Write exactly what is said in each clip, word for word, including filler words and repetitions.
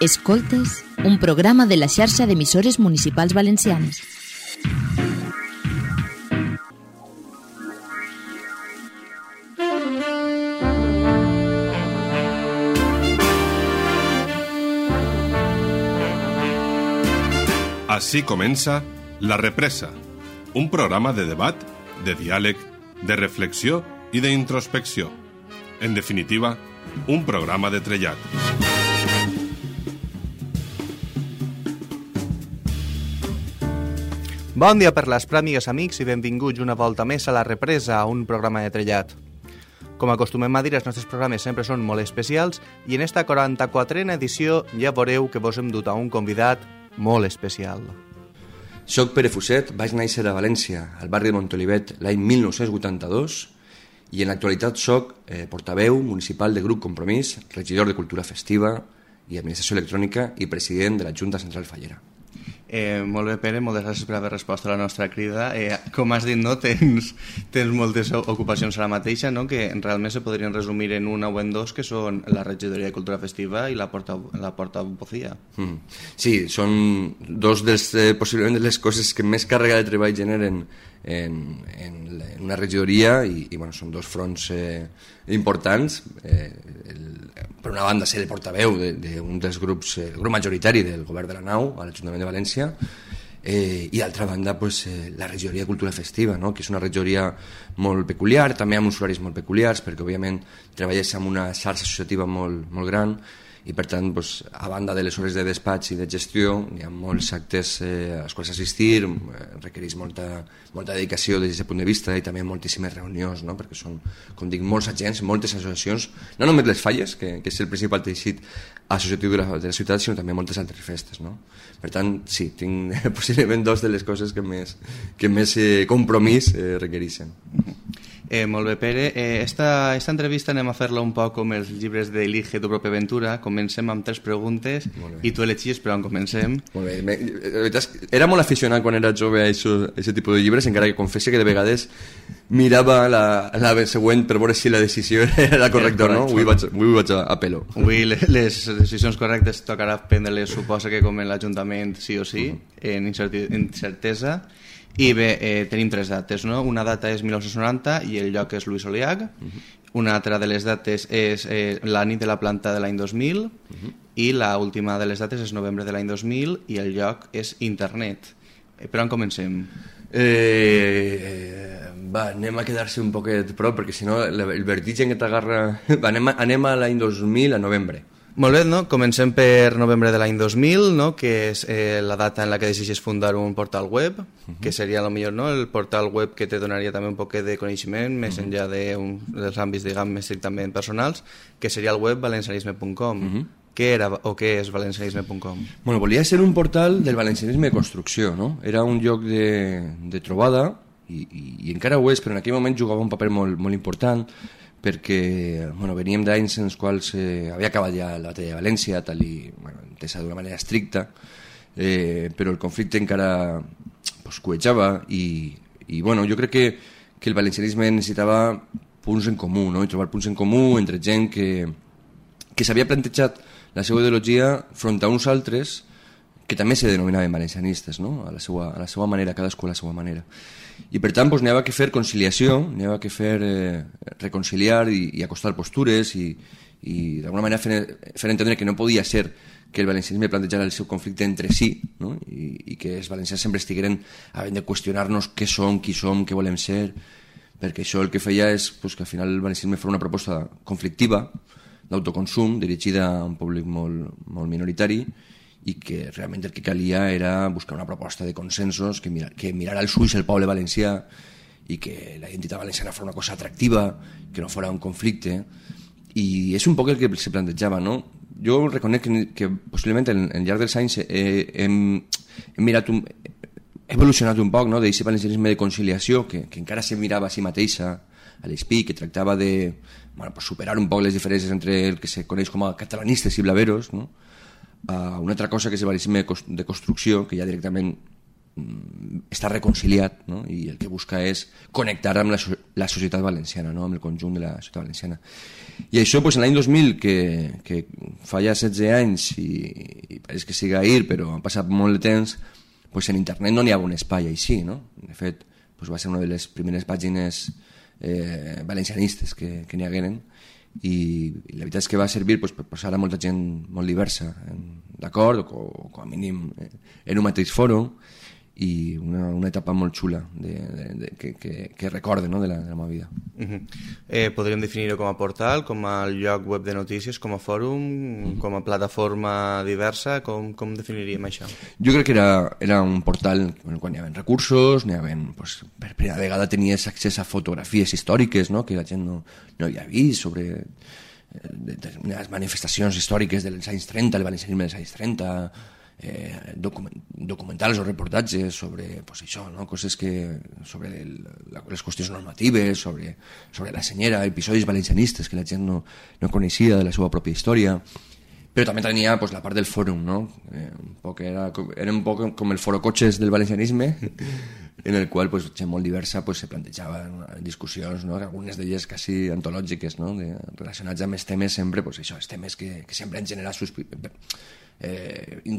Escoltes, un programa de la xarxa d'emissores municipals valencianes. Así comença La Represa, un programa de debat, de diàleg, de reflexió i d'introspecció. En definitiva, un programa de trellat. Bon dia per les pràmigues, amics, i benvinguts una volta més a La Represa, un programa de trellat. Com acostumem a dir, els nostres programes sempre són molt especials i en esta quaranta-quatrena edició ja veureu que vos hem dut a un convidat molt especial. Soc Pere Fuset, vaig néixer a València, al barri de Montolivet, l'any mil nou-cents vuitanta-dos, i en l'actualitat soc eh, portaveu municipal de Grup Compromís, regidor de Cultura Festiva i Administració Electrònica i president de la Junta Central Fallera. Eh, molt bé, Pere, moltes gràcies per haver respost a la nostra crida. Eh, com has dit, no, tens, tens moltes ocupacions ara mateixa, no? Que realment se podrien resumir en una o en dos, que són la regidoria de Cultura Festiva i la porta, la portavocía. Mm. Sí, són dos dels, eh, possiblement de les coses que més càrrega de treball generen en, en, en una regidoria i, i bueno, són dos fronts eh, importants. Eh, el, per una banda, ser el portaveu d'un de, de dels grups, el grup majoritari del govern de la Nau, a l'Ajuntament de València, eh, i d'altra banda pues, eh, la regidoria de Cultura Festiva, no? Que és una regidoria molt peculiar, també amb uns horaris molt peculiars, perquè òbviament treballes amb una xarxa associativa molt, molt gran, i per tant, doncs, a banda de les hores de despatx i de gestió, hi ha molts actes eh, als quals assistir, eh, requereix molta, molta dedicació des d'aquest punt de vista i també moltíssimes reunions, no? Perquè són, com dic, molts agents, moltes associacions, no només les falles, que, que és el principal teixit associatiu de la, de la ciutat, sinó també moltes altres festes, no? Per tant, sí, tinc possiblement dos de les coses que més, que més eh, compromís eh, requereixen. Eh, molt bé, Pere. Eh, esta, esta entrevista anem a fer-la un poc com els llibres d'Elige tu pròpia aventura. Comencem amb tres preguntes i tu elegis per on comencem. Molt bé. La veritat és que era molt aficionat quan era jove a aquest tipus de llibres, encara que confessi que de vegades mirava la, la següent per veure si la decisió era correcta o no. Avui vaig, avui vaig a, a pelo. Avui les decisions correctes tocarà prendre-les, suposa que com en l'Ajuntament sí o sí, uh-huh. en incertesa. I bé, eh, tenim tres dates, no? Una data és mil nou-cents noranta i el lloc és Lluís Oliach. Uh-huh. Una altra de les dates és eh, la nit de la planta de l'any dos mil. Uh-huh. I l'última de les dates és novembre de l'any dos mil i el lloc és internet. Eh, per on comencem? Eh, va, anem a quedar-se un poquet prop, perquè si no el vertigen que t'agarra... Va, anem, a, anem a l'any dos mil, a novembre. Molt bé, no? Comencem per novembre de l'any dos mil, no? Que és eh, la data en la que decideixes fundar un portal web, uh-huh. que seria lo millor, no? El portal web que te donaria també un poquet de coneixement, més uh-huh. enllà de un, dels àmbits, diguem, més estrictament personals, que seria el web valencianisme punt com. Uh-huh. Què era o què és valencianisme punt com? Bueno, volia ser un portal del valencianisme de construcció, no? Era un lloc de, de trobada, i, i, i encara ho és, però en aquell moment jugava un paper molt, molt important, perquè bueno, veníem d'anys en els quals eh, havia acabat ja la batalla de València, tal i bueno, entesa d'una manera estricta, eh, però el conflicte encara pues, cuejava i, i bueno, jo crec que, que el valencianisme necessitava punts en comú, no? I trobar punts en comú entre gent que, que s'havia plantejat la seva ideologia front a uns altres que també se denominaven valencianistes, no? a, la seva, a la seva manera, cadascú a la seva manera. I per tant doncs, n'hi havia que fer conciliació, n'hi havia que fer eh, reconciliar i, i acostar postures i, i d'alguna manera fer, fer entendre que no podia ser que el valencianisme plantejara el seu conflicte entre si, no? I, i que els valencians sempre estigueren havent de qüestionar-nos què som, qui som, què volem ser, perquè això el que feia és pues, que al final el valencianisme fos una proposta conflictiva, d'autoconsum, dirigida a un públic molt, molt minoritari, i que realment el que calia era buscar una proposta de consensos que, mirar, que mirara als ulls el poble valencià i que la identitat valenciana fos una cosa atractiva, que no fos un conflicte, i és un poc el que se plantejava, no? Jo reconec que, que possiblement en, en llarg dels anys he, hem, hem mirat un, he evolucionat un poc, no? D'aquest valencianisme de conciliació que, que encara se mirava a si mateixa a l'E S P I, que tractava de bueno, pues superar un poc les diferències entre el que se coneix com a catalanistes i blaveros, no? Uh, una altra cosa que és el valencianisme de construcció, que ja directament mm, està reconciliat, no? I el que busca és connectar amb la, la societat valenciana, no? Amb el conjunt de la societat valenciana. I això, pues, en l'any dos mil, que, que fa ja setze anys i, i pareix que siga ahir, però ha passat molt de temps, pues en internet no n'hi ha un espai així, no? De fet, pues va ser una de les primeres pàgines eh, valencianistes que, que n'hi hagueren, i, i la veritat és que va servir pues, per posar a molta gent molt diversa d'acord, o, o com a mínim eh, en un mateix fòrum, i una, una etapa molt xula de, de, de, que, que, que recorde, no? de, la, de la meva vida. Uh-huh. eh, podríem definir-ho com a portal, com a lloc web de notícies, com a fòrum, uh-huh. com a plataforma diversa, com, com definiríem això? Jo crec que era, era un portal bueno, quan hi havia recursos, hi havia, pues, per primera vegada tenies accés a fotografies històriques, no? que la gent no, no havia vist, sobre determinades manifestacions històriques dels anys trenta, el valencianisme dels anys trenta, Eh, document, documentals o reportatges sobre pues, això, no? Coses que, sobre el, la, les qüestions normatives, sobre, sobre la senyera, episodis valencianistes que la gent no, no coneixia de la seva pròpia història, però també tenia pues, la part del fòrum, no? eh, un poc era, era un poc com el forocotxes del valencianisme en el qual pues, gent molt diversa pues, se plantejaven discussions, no? Algunes d'elles quasi antològiques, no? de, relacionats amb els temes sempre, pues, això, els temes que, que sempre han generat sus... Eh, in,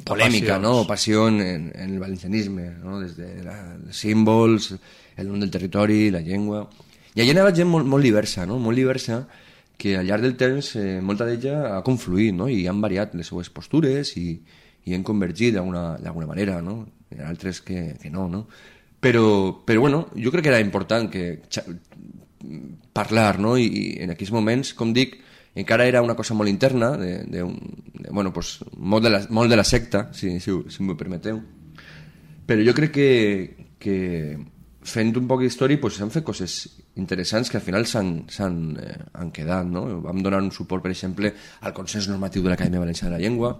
polèmica, no? Passió en, en el valencianisme, no? Des de la, els símbols, el nom del territori, la llengua, i allà anava gent molt, molt diversa, no? Molt diversa, que al llarg del temps eh, molta d'ella ha confluït, no? I han variat les seues postures i, i han convergit d'alguna manera, no? Hi ha altres que, que no, no? Però, però bueno, jo crec que era important que parlar, no? I, i en aquells moments, com dic, encara era una cosa molt interna, de, de, un, de, bueno, pues, molt, de la, molt de la secta, si, si, si m'ho permeteu. Però jo crec que, que fent un poc d'història pues, s'han fet coses interessants que al final s'han eh, han quedat. No? Vam donar un suport, per exemple, al consens normatiu de l'Acadèmia Valenciana de la Llengua,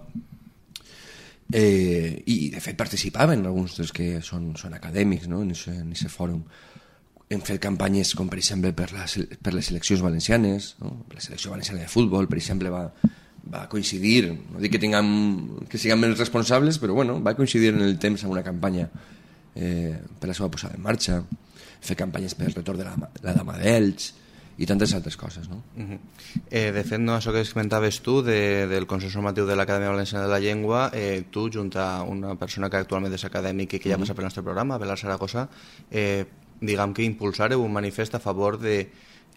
eh, i de fet participaven alguns dels que són, són acadèmics, no? en aquest fòrum. Hem fet campanyes com per exemple per, la, per les seleccions valencianes, no? La selecció valenciana de futbol per exemple va, va coincidir, no dic que, tinguem, que siguem els responsables, però bueno, va coincidir en el temps amb una campanya eh, per la seva posada en marxa, fer campanyes per el retorn de la, la Dama d'Elx i tantes altres coses, no? Uh-huh. eh, de fet, no, això que comentaves tu de, del Consell Normatiu de l'Acadèmia Valenciana de la Llengua, eh, tu junt a una persona que actualment és acadèmic i que ja uh-huh. passa pel nostre programa, Belar Saragossa, eh, diguem que impulsareu un manifest a favor de,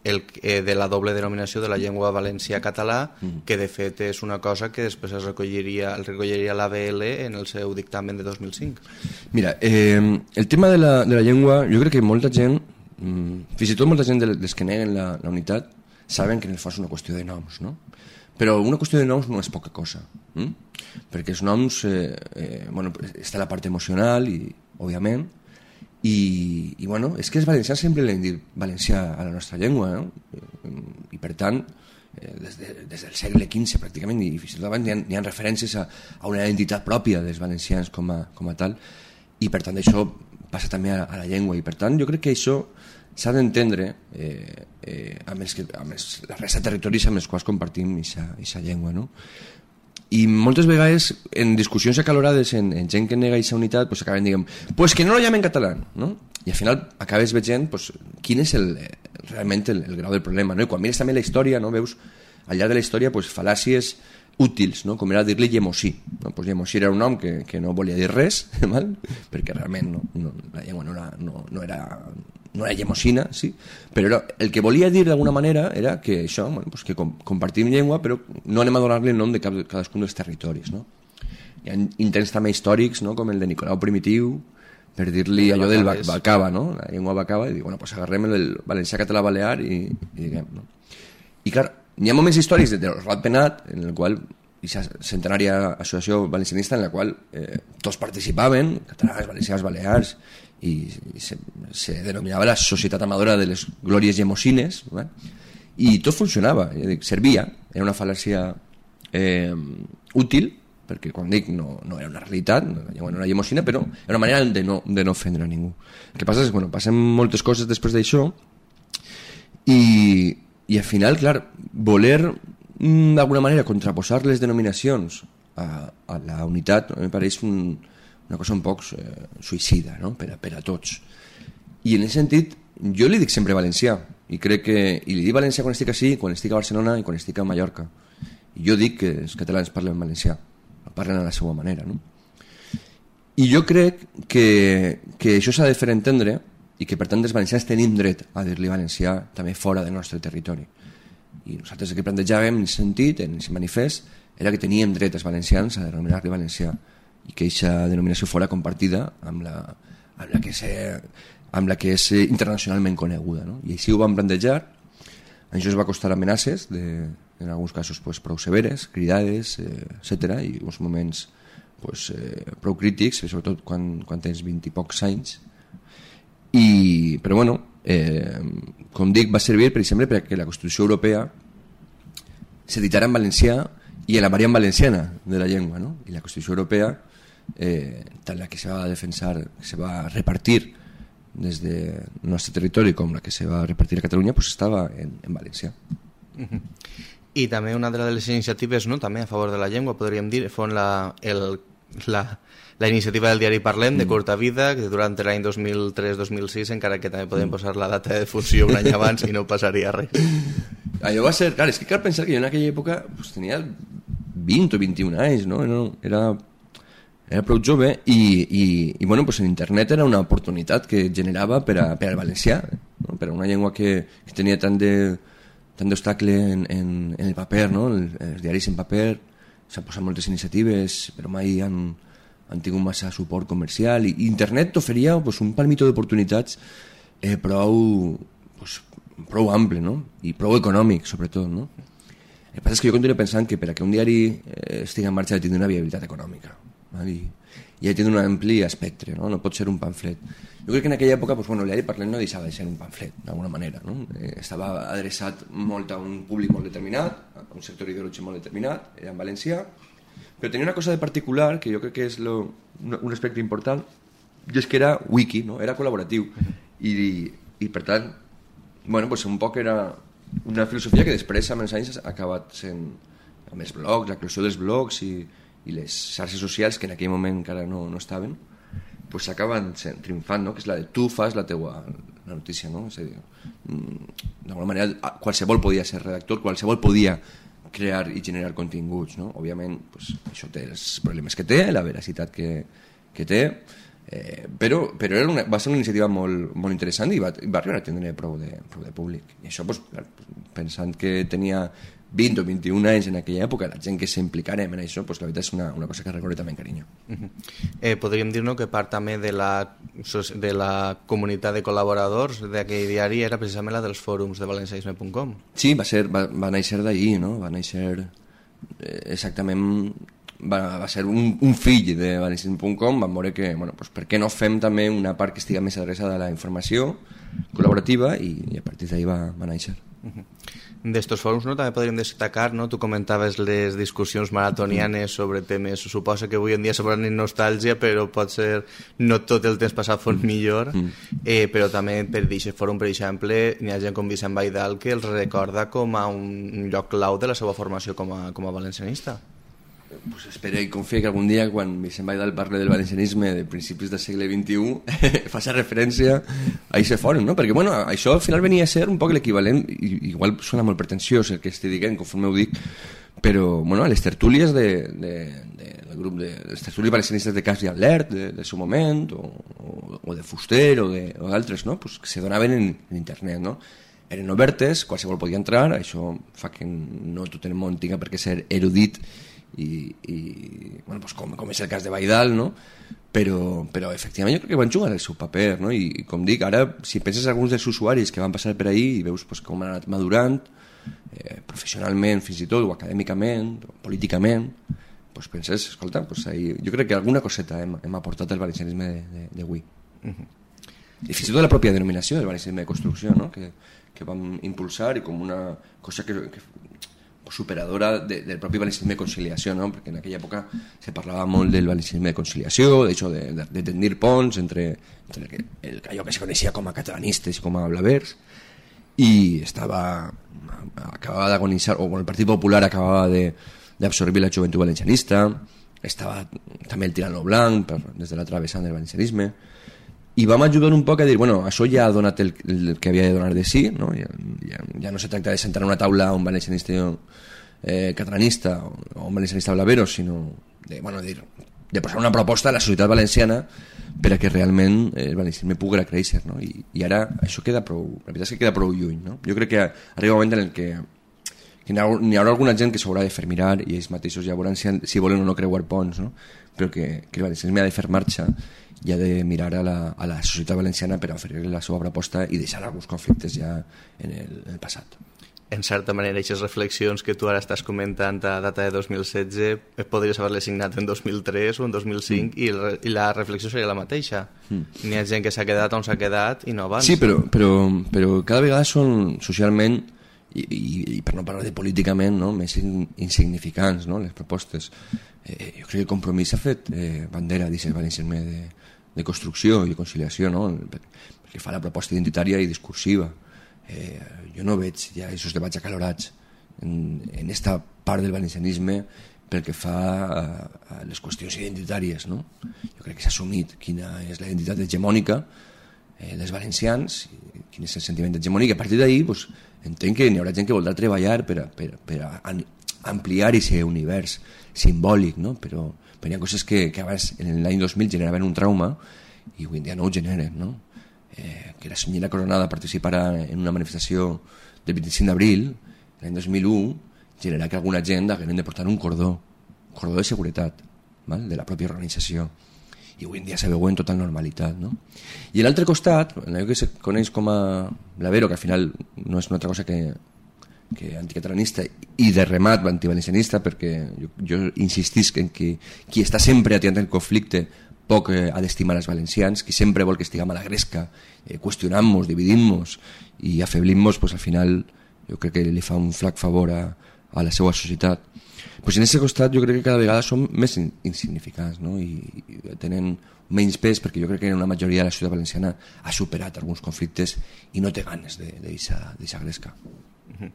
el, eh, de la doble denominació de la llengua valencià-català, mm. que de fet és una cosa que després es recolliria, el recolliria l'A B L en el seu dictamen de dos mil cinc. Mira, eh, el tema de la, de la llengua, jo crec que molta gent, mm, fins i tot molta gent dels que neguen la, la unitat, saben que en el fons és una qüestió de noms, no? Però una qüestió de noms no és poca cosa, hm? perquè els noms, eh, eh, bueno, està la part emocional, i, òbviament, I, i bueno, és que els valencians sempre l'hem dit valencià a la nostra llengua, no? I per tant eh, des, de, des del segle quinze pràcticament i fins i tot abans hi ha, hi ha referències a, a una identitat pròpia dels valencians com a, com a tal, i per tant això passa també a, a la llengua, i per tant jo crec que això s'ha d'entendre eh, eh, amb, els que, amb els, la resta de territoris amb els quals compartim aquesta llengua, no? I moltes vegades en discussions acalorades en, en gent que nega aquesta unitat pues acaben dient, pues que no lo llamen català, no? I al final acabes veient pues, quin és el, realment el, el grau del problema, no? I quan mires també la història, no? Veus al llarg de la història pues, fal·làcies útils, no? Com era dir-li Llemosí, no? Pues Llemosí era un nom que, que no volia dir res, mal? Perquè realment no, no, la llengua no era, no, no era no era llemosina, sí, però era, el que volia dir d'alguna manera era que això, bueno, pues que com, compartim llengua, però no anem a donar-li el nom de cap, cadascun dels territoris, no? Hi ha intents també històrics, no? Com el de Nicolau Primitiu, per dir-li allò del bacava, no? La llengua bacava, i dir, bueno, pues agarrem el valencià català balear i, i diguem, no? I clar, hi ha moments històrics de Rat Penat, en el qual aquesta centenària associació valencianista en la qual eh, tots participaven, catalans, valencians, balears, i, i se, se denominava la Societat Amadora de les Glòries Llemosines, ¿no? I tot funcionava, dic, servia, era una fal·làcia eh, útil, perquè quan dic no, no era una realitat, no, no era llemosina, però era una manera de no, de no ofendre a ningú. El que passa és que bueno, passen moltes coses després d'això i, i al final, clar, voler d'alguna manera contraposar les denominacions a, a la unitat no, em pareix un, una cosa un poc eh, suïcida, no? per, a, per a tots. I en aquest sentit, jo li dic sempre valencià, i crec que i li dic valencià quan estic així, quan estic a Barcelona i quan estic a Mallorca. I jo dic que els catalans parlen valencià, parlen a la seva manera, no? I jo crec que, que això s'ha de fer entendre i que per tant els valencians tenim dret a dir-li valencià també fora del nostre territori. I nosaltres el que plantejàvem en aquest sentit, en aquest manifest, era que teníem dret els valencians a denominar-li valencià i que aquesta denominació fora compartida amb la, amb la, que, se, amb la que és internacionalment coneguda, no? I així ho vam plantejar. Això es va costar amenaces, de, en alguns casos pues, prou severes, cridades, eh, etcètera, i uns moments pues, eh, prou crítics, sobretot quan, quan tens vint i pocs anys. I, però bueno, eh, com dic, va servir per exemple perquè la Constitució Europea s'editarà en valencià i en la variant valenciana de la llengua, no? I la Constitució Europea, eh, tant la que se va defensar, que se va repartir des del nostre territori com la que se va repartir a Catalunya, pues estava en, en valencià. Uh-huh. I també una de les iniciatives, no, també a favor de la llengua, podríem dir, fon la, el, la, la iniciativa del diari Parlem, de curta vida, que durant l'any dos mil tres dos mil sis, encara que també podem posar la data de difusió un any abans i no passaria res. Allò va ser, clar, és que cal pensar que jo en aquella època pues, tenia vint o vint-i-un anys, no? Era, era prou jove i, i, i bueno, pues en internet era una oportunitat que generava per, a, per al valencià, no? Per a una llengua que, que tenia tant de tant d'obstacle en, en, en el paper, no? El, els diaris en paper, s'han posat moltes iniciatives, però mai han, han tingut massa suport comercial, i, i internet t'oferia pues, un palmito d'oportunitats eh, prou, pues, prou ample, no? I prou econòmic, sobretot, no? El que passa és que jo continuo pensant que per a que un diari eh, estigui en marxa ha de tenir una viabilitat econòmica, val? I, i ha de tenir un ampli espectre, no? No pot ser un pamflet. Jo crec que en aquella època pues, bueno, el diari Parlem no deixava de ser un pamflet, d'alguna manera, no? Eh, estava adreçat molt a un públic molt determinat, a un sector ideològic molt determinat, era en valencià, però tenia una cosa de particular que jo crec que és lo, un, un aspecte important, i és que era wiki, no? Era col·laboratiu, i, i per tant, bueno, pues, un poc era una filosofia que després amb els anys ha acabat sent amb els blogs, la creació dels blogs i, i les xarxes socials que en aquell moment encara no, no estaven, pues s'acaben triomfant, no? Que és la de tu fas la teua la notícia, no? És a dir, d'alguna manera qualsevol podia ser redactor, qualsevol podia crear i generar continguts, no? Òbviament pues, això té els problemes que té, la veracitat que, que té, eh, però, però era una, va ser una iniciativa molt, molt interessant i va, va arribar a tindre prou de, prou de públic. I això, pues, pensant que tenia vint o vint-i-un anys en aquella època, la gent que s'implicara en això, pues, la veritat és una, una cosa que recordo també amb carinyo. Uh-huh. eh, podríem dir, no, que part també de la, de la comunitat de col·laboradors d'aquell diari era precisament la dels fòrums de valencianisme punt com. Sí, va, ser, va, va néixer d'allí, no? Va néixer eh, exactament... Va, va ser un, un fill de valencianisme punt com. Vam veure que, bueno, pues, per què no fem també una part que estigui més adreçada a la informació col·laborativa, i, i a partir d'ahí va, va néixer. Uh-huh. D'estos fòrums, no, també podríem destacar, no? Tu comentaves les discussions maratonianes sobre temes, suposa que avui en dia sobran en nostàlgia, però pot ser no tot el temps passat fos millor, mm. eh, però també per aquest fòrum, per exemple, n'hi ha gent com Vicent Baidal que els recorda com a un lloc clau de la seva formació com a, com a valencianista. Pues espero i confio que algun dia, quan Vicent Baidal parle del valencianisme de principis del segle vint-i-u, faci referència a aquest fòrum, no? Perquè bueno, això al final venia a ser un poc l'equivalent, i igual sona molt pretensiós el que estic dient, conforme ho dic, però bueno, les tertúlies de, de, de, del grup de les tertúlies valencianistes de Cas i Alert de, del seu moment, o, o, o de Fuster o d'altres, no? Pues que se donaven en, en internet, no? Eren obertes, qualsevol podia entrar, això fa que no tot el món tinga per què ser erudit i, i bueno, pues com, com és el cas de Baidal, no? Però, però efectivament jo crec que van jugar el seu paper, no? I, i com dic, ara si penses en alguns dels usuaris que van passar per ahí i veus pues, com han anat madurant eh, professionalment fins i tot, o acadèmicament o políticament, pues penses, escolta, pues ahí, jo crec que alguna coseta hem, hem aportat al valencianisme d'avui. Uh-huh. I fins i tot la pròpia denominació del valencianisme de construcció, no? que, que vam impulsar, i com una cosa que, que superadora de, del propi valencianisme de conciliació, no? Perquè en aquella època se parlava molt del valencianisme de conciliació, de, hecho, de, de, de tendir ponts entre, entre el, el, allò que se coneixia com a catalanistes i com a blavers, i estava acabava d'agonitzar, o bueno, el Partit Popular acabava de, d'absorbir la joventut valencianista, estava també el tirano blanc per, des de l'altra vessant del valencianisme, i vam ajudar un poc a dir, bueno, això ja ha donat el, el que havia de donar de sí, no? Ja, ja, ja no se tracta de sentar a una taula un valencianista eh, catalanista o, o un valencianista blavero, sinó de, bueno, de, de posar una proposta a la societat valenciana per a que realment el valencianisme pugui créixer, no? I, i ara això queda prou, la veritat és que queda prou lluny, no? Jo crec que arriba un moment en el que, que n'hi haurà, n'hi haurà alguna gent que s'haurà de fer mirar i ells mateixos ja veuran si, si volen o no creuar ponts, no? Però que, que el valencianisme ha de fer marxa i ha de mirar a la, a la societat valenciana per a oferir la seva proposta i deixar alguns conflictes ja en el, en el passat. En certa manera, aquestes reflexions que tu ara estàs comentant a data de dos mil setze podries haver-les signat en dos mil tres o en dos mil cinc mm. i, el, i la reflexió seria la mateixa. Mm. N'hi ha gent que s'ha quedat on s'ha quedat i no avança. Sí, però, però, però cada vegada són socialment i, i, i per no parlar de políticament, no? Més in, insignificants, no? Les propostes. Eh, jo crec que el Compromís s'ha fet eh, bandera d'aquest valencianisme de, de construcció i de conciliació, no? Perquè fa la proposta identitària i discursiva. Eh, jo no veig ja aquests debats acalorats en, en esta part del valencianisme pel que fa a, a les qüestions identitàries, no? Jo crec que s'ha assumit quina és la identitat hegemònica eh, dels valencians, quin és el sentiment hegemònic, i a partir d'ahir pues, entenc que n'hi haurà gent que voldrà treballar per a, per, per a ampliar aquest univers simbòlic, no? Però, però hi ha coses que, que abans en l'any dos mil generaven un trauma i avui en dia no ho generen, no? Eh, que la senyora Coronada participara en una manifestació del vint-i-cinc d'abril l'any dos mil u, generarà que alguna gent haguem de portar un cordó un cordó de seguretat, val? De la pròpia organització, i avui en dia se veu en total normalitat, no? I a l'altre costat, allò que se coneix com a blavero, que al final no és una altra cosa que, que anticatalanista i de remat antivalencianista, perquè jo, jo insistisc en que qui està sempre atiant el conflicte poc eh, ha d'estimar els valencians, qui sempre vol que estiguem a la gresca, eh, qüestionant-nos, dividint-nos i afeblim-nos, pues, al final jo crec que li fa un flac favor a, a la seva societat. Pues en aquest costat jo crec que cada vegada som més in insignificants, no? I, i tenen menys pes, perquè jo crec que una majoria de la societat valenciana ha superat alguns conflictes i no té ganes de deixar gresca. Mm-hmm.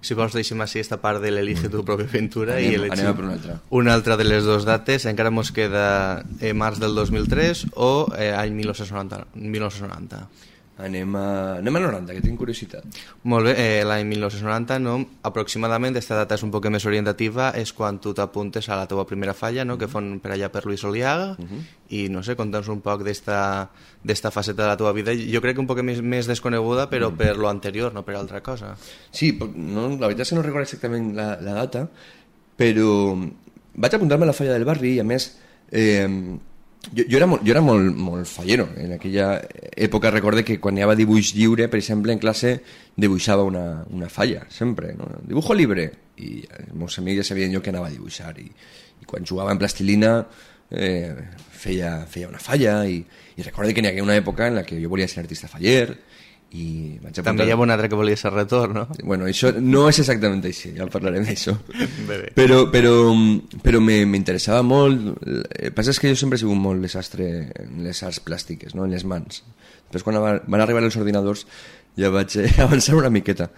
Si vols deixem així esta part de l'Elige tu pròpia aventura anem, i elegim anem a per una altra. Una altra de les dues dates, encara mos queda eh, març del dos mil tres o eh, any mil nou-cents noranta. Anem a, anem a noranta, que tinc curiositat. Molt bé, eh, l'any mil nou-cents noranta, no? Aproximadament, aquesta data és un poc més orientativa, és quan tu t'apuntes a la teva primera falla, no? Que fon per allà per Luis Oliaga, uh -huh. i no sé, conta'ns un poc d'esta faceta de la teva vida, jo crec que un poc més, més desconeguda, però uh -huh. per lo anterior, no per altra cosa. Sí, no, la veritat és que no recordo exactament la, la data, però vaig apuntar-me a la falla del barri i a més... Eh, Jo, jo era, molt, jo era molt, molt fallero. En aquella època recorde que quan anava a dibuix lliure, per exemple, en classe dibuixava una, una falla, sempre, no? Dibujo libre. I els meus amics ja sabien jo que anava a dibuixar. I, i quan jugava en plastilina eh, feia, feia una falla. I, i recorde que n'hi hagué una època en la que jo volia ser artista faller. I vaig apuntar... També hi ha un altre que volia ser retorn, no? Bueno, això no és exactament així, ja parlarem d'això. Però, però, però m'interessava molt. El que passa és que jo sempre he sigut molt desastre en les arts plàstiques, no? En les mans. Després, quan van arribar els ordinadors, ja vaig avançar una miqueta.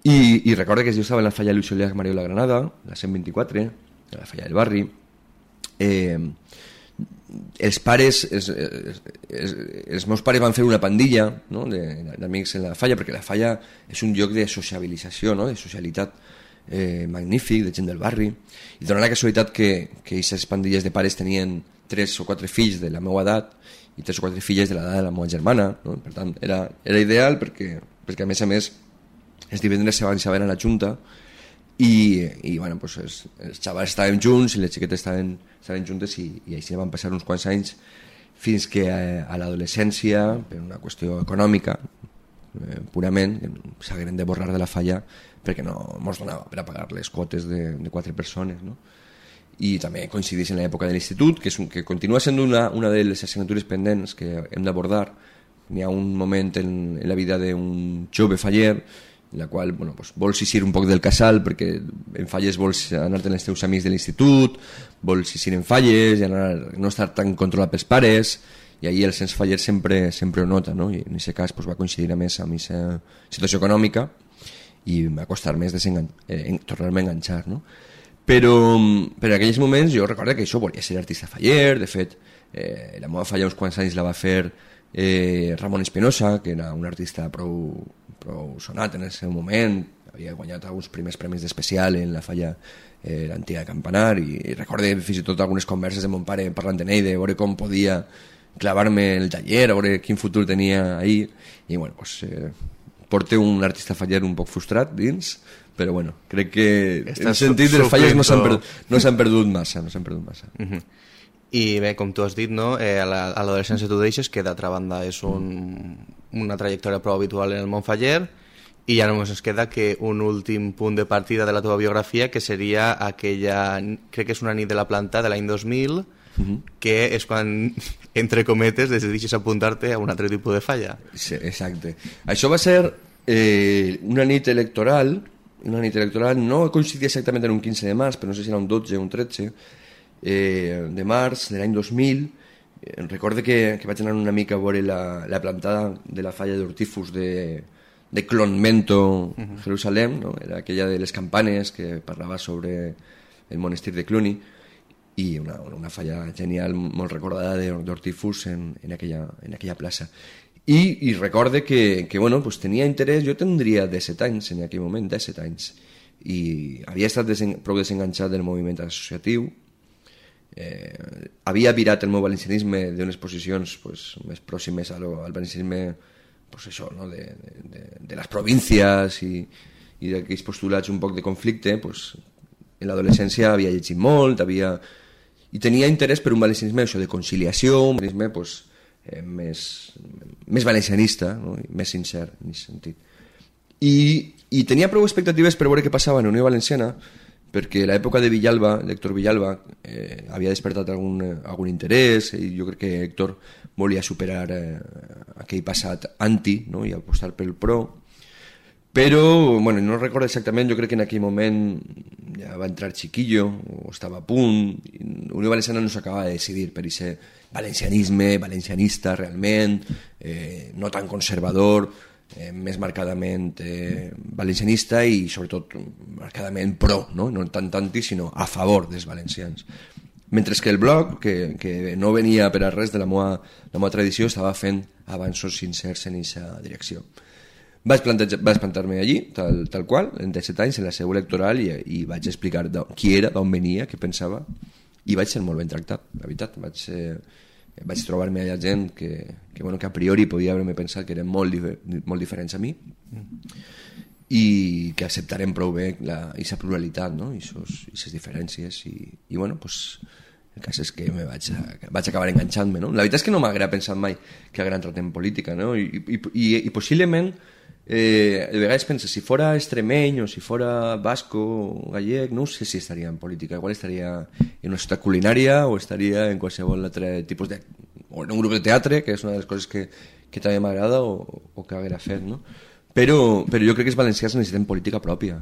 I, i recordo que jo estava en la falla Luis Oliaga Mario la Granada, la cent vint-i-quatre, la falla del barri. Eh... els pares els, els, els, els meus pares van fer una pandilla, no? d'amics en la falla, perquè la falla és un lloc de sociabilització, no? De socialitat eh, magnífic, de gent del barri, i donant la casualitat que aquestes pandilles de pares tenien tres o quatre fills de la meva edat i tres o quatre filles de l'edat de la meva germana, no? Per tant era, era ideal perquè, perquè a més a més els divendres s'avançaven a la junta i, i bueno, pues els, els xavals estàvem junts i les xiquetes estaven, estaven juntes i, i així van passar uns quants anys fins que a, a l'adolescència, per una qüestió econòmica eh, purament, s'hagueren de borrar de la falla perquè no ens donava per a pagar les quotes de, de quatre persones, no? I també coincideix en l'època de l'institut, que, és un, que continua sent una, una de les assignatures pendents que hem d'abordar. N'hi ha un moment en, en la vida d'un jove faller en la qual bueno, pues, vols eixir un poc del casal perquè en falles vols anar-te amb els teus amics de l'institut, vols eixir en falles i anar, no estar tan controlat pels pares, i ahir el sens faller sempre, sempre ho nota, no? I en aquest cas pues, va coincidir a més amb aquesta situació econòmica i va costar més eh, tornar-me a enganxar, no? Però, però en aquells moments jo recordo que això volia ser artista faller. De fet, eh, la meva falla uns quants anys la va fer eh, Ramon Espinosa, que era un artista prou, prou sonat en el seu moment, havia guanyat alguns primers premis d'especial en la falla eh, l'antiga Campanar, i, i recorde fins i tot algunes converses de mon pare parlant en ell, de veure com podia clavar-me el taller, a veure quin futur tenia ahí, i bueno, pues, eh, porta un artista faller un poc frustrat dins, però bueno, crec que en el sentit dels falles no s'han perdut, no s'han perdut massa, no s'han perdut massa. Uh-huh. I bé, com tu has dit, no? eh, a l'adolescència tu deixes, que d'altra banda és un, una trajectòria prou habitual en el món faller, i ja només ens queda que un últim punt de partida de la teva biografia, que seria aquella, crec que és una nit de la planta de l'any dos mil, uh-huh. que és quan, entre cometes, decidixes apuntar-te a un altre tipus de falla. Sí, exacte. Això va ser eh, una nit electoral, una nit electoral, no coincidia exactament en un quinze de març, però no sé si era un dotze o un tretze, eh, de març de l'any dos mil. Eh, recorde que, que vaig anar una mica a veure la, la plantada de la falla d'Hortífus de, de Clonmento, uh-huh. Jerusalem, no? Era aquella de les campanes que parlava sobre el monestir de Cluny, i una, una falla genial, molt recordada d'Hortífus en, en, aquella, en aquella plaça. I, i recorde que, que bueno, pues tenia interès, jo tindria disset anys en aquell moment, disset anys, i havia estat desen, prou desenganxat del moviment associatiu, eh, havia virat el meu valencianisme d'unes posicions pues, més pròximes al, al valencianisme pues això, no? de, de, de les províncies i, i d'aquells postulats un poc de conflicte. Pues, en l'adolescència havia llegit molt, havia... i tenia interès per un valencianisme això, de conciliació, un valencianisme pues, eh, més, més valencianista, no? Més sincer en aquest sentit. I, i tenia prou expectatives per veure què passava en la Unió Valenciana, perquè l'època de Villalba, l'Héctor Villalba, eh, havia despertat algun, algun interès, i jo crec que Héctor volia superar eh, aquell passat anti, no? I apostar pel pro. Però, bueno, no recordo exactament, jo crec que en aquell moment ja va entrar Chiquillo, o estava a punt, i Unió Valenciana no s'acaba de decidir per aquest valencianisme, valencianista realment, eh, no tan conservador, eh, més marcadament eh, valencianista i sobretot marcadament pro, no? No tant tanti, sinó a favor dels valencians. Mentre que el bloc, que, que no venia per a res de la meva, la meva tradició, estava fent avanços sincers en aquesta direcció. Vaig, vaig plantar-me allí, tal, tal qual, en disset anys, en la seu electoral, i, i vaig explicar qui era, d'on venia, què pensava, i vaig ser molt ben tractat, la veritat. Vaig, eh, vaig trobar-me allà gent que, que, bueno, que a priori podia haver-me pensat que eren molt, molt diferents a mi, i que acceptarem prou bé aquesta pluralitat, no? I aquestes diferències, i, i bueno, pues, el cas és que me vaig, a, vaig acabar enganxant-me, no? La veritat és que no m'haguera pensat mai que haguera entrat en política, no? I, i, i, i possiblement eh, de vegades penses, si fora extremeny o si fora basco o gallec, no sé si estaria en política, igual estaria en una ciutat culinària o estaria en qualsevol altre tipus de... o en un grup de teatre, que és una de les coses que, que també m'agrada o, o que haguera fet, no? Però, però jo crec que els valencians necessiten política pròpia,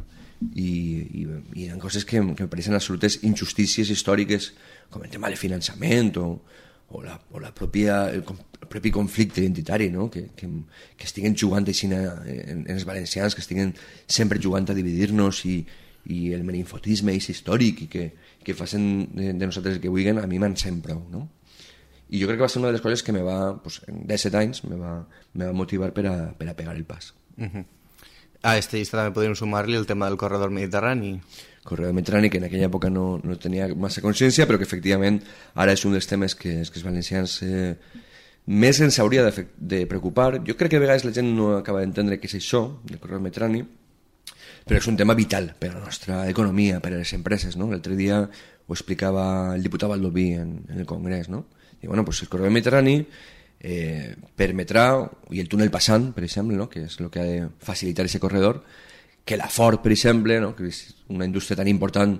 i, i, i hi ha coses que, que em pareixen absolutes injustícies històriques, com el tema del finançament o, o, la, o la pròpia, el, el propi conflicte identitari, no? que, que, que estiguen jugant així en, en, en els valencians, que estiguen sempre jugant a dividir-nos, i, i el meninfotisme és històric, i que, que facin de, de nosaltres el que vulguin, a mi m'encén prou, no? I jo crec que va ser una de les coses que me va, pues, en disset anys me va, me va motivar per a, per a pegar el pas. Uh-huh. A aquesta llista també podríem sumar-li el tema del corredor mediterrani. Corredor mediterrani, que en aquella època no, no tenia massa consciència, però que efectivament ara és un dels temes que, que els valencians eh, més ens hauria de, de preocupar. Jo crec que a vegades la gent no acaba d'entendre què és això del corredor mediterrani, però és un tema vital per a la nostra economia, per a les empreses, no? L'altre dia ho explicava el diputat Baldoví en, en el Congrés, no? I bueno, pues el corredor mediterrani eh, permetrà, i el túnel passant, per exemple, no? Que és el que ha de facilitar aquest corredor, que la Ford, per exemple, no? Que és una indústria tan important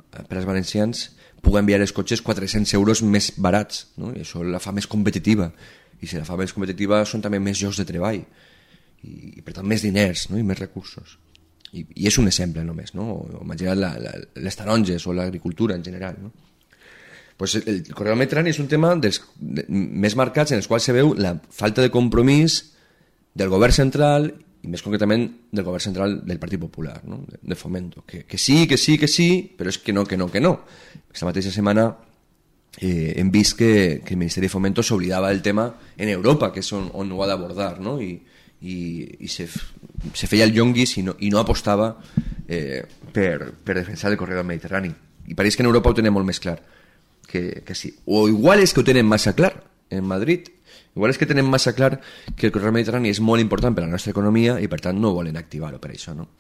per als valencians, pugui enviar els cotxes quatre-cents euros més barats, no? I això la fa més competitiva, i si la fa més competitiva són també més llocs de treball, i, i per tant més diners, no? I més recursos. I, i és un exemple només, no? O imagina't les taronges o l'agricultura en general, no? Pues el corredor mediterrani és un tema dels, de, més marcats, en els quals se veu la falta de compromís del govern central, i més concretament del govern central del Partit Popular, no? de, de Fomento, que, que sí, que sí, que sí, però és que no, que no, que no. Aquesta mateixa setmana eh, hem vist que, que el Ministeri de Fomento s'oblidava del tema en Europa, que és on, on ho ha d'abordar, no? I, i, i se, se feia el llonguis i no, i no apostava eh, per, per defensar el corredor mediterrani. I pareix que en Europa ho tenen molt més clar que, que sí. O igual és que ho tenen massa clar en Madrid, igual és que tenen massa clar que el corredor mediterrani és molt important per a la nostra economia i per tant no volen activar-ho per això, no?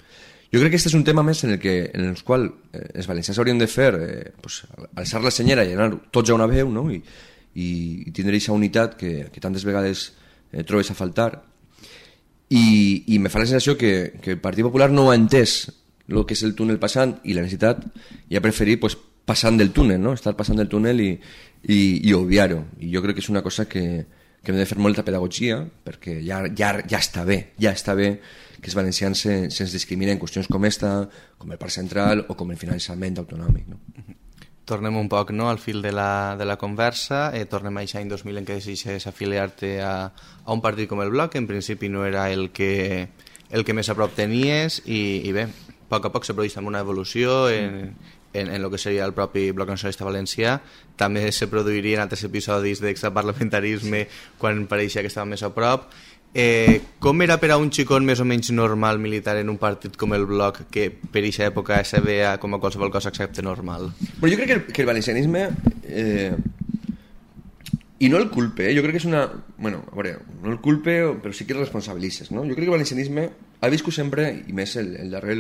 Jo crec que aquest és un tema més en el, que, en el qual eh, els valencians haurien de fer eh, pues, alçar la senyera i anar tots a una veu, no? I, i, i tindre aquesta unitat que, que tantes vegades eh, trobes a faltar. I, i me fa la sensació que, que el Partit Popular no ha entès el que és el túnel passant i la necessitat, i ha preferit pues, passant del túnel, no? Estar passant del túnel i, i, i obviar-ho. I jo crec que és una cosa que, que hem de fer molta pedagogia, perquè ja, ja, ja està bé, ja està bé que els valencians se, se'ns discriminen en qüestions com esta, com el Parc Central o com el finançament autonòmic, no? Tornem un poc, no?, al fil de la, de la conversa. Eh, tornem a aquest any dos mil en què decideixes afiliar-te a, a un partit com el Bloc, que en principi no era el que, el que més a prop tenies, i, i bé, a poc a poc se produeix també una evolució en, en, en el que seria el propi Bloc Nacionalista Valencià. També se produirien altres episodis d'extraparlamentarisme quan pareixia que estava més a prop. Eh, com era per a un xicot més o menys normal militar en un partit com el Bloc, que per aquesta època se veia com a qualsevol cosa excepte normal? Bueno, jo crec que el, que el valencianisme eh, i no el culpe, eh? Jo crec que és una... Bueno, a veure, no el culpe, però sí que el responsabilitzes, no? Jo crec que el valencianisme ha viscut sempre, i més el, el darrer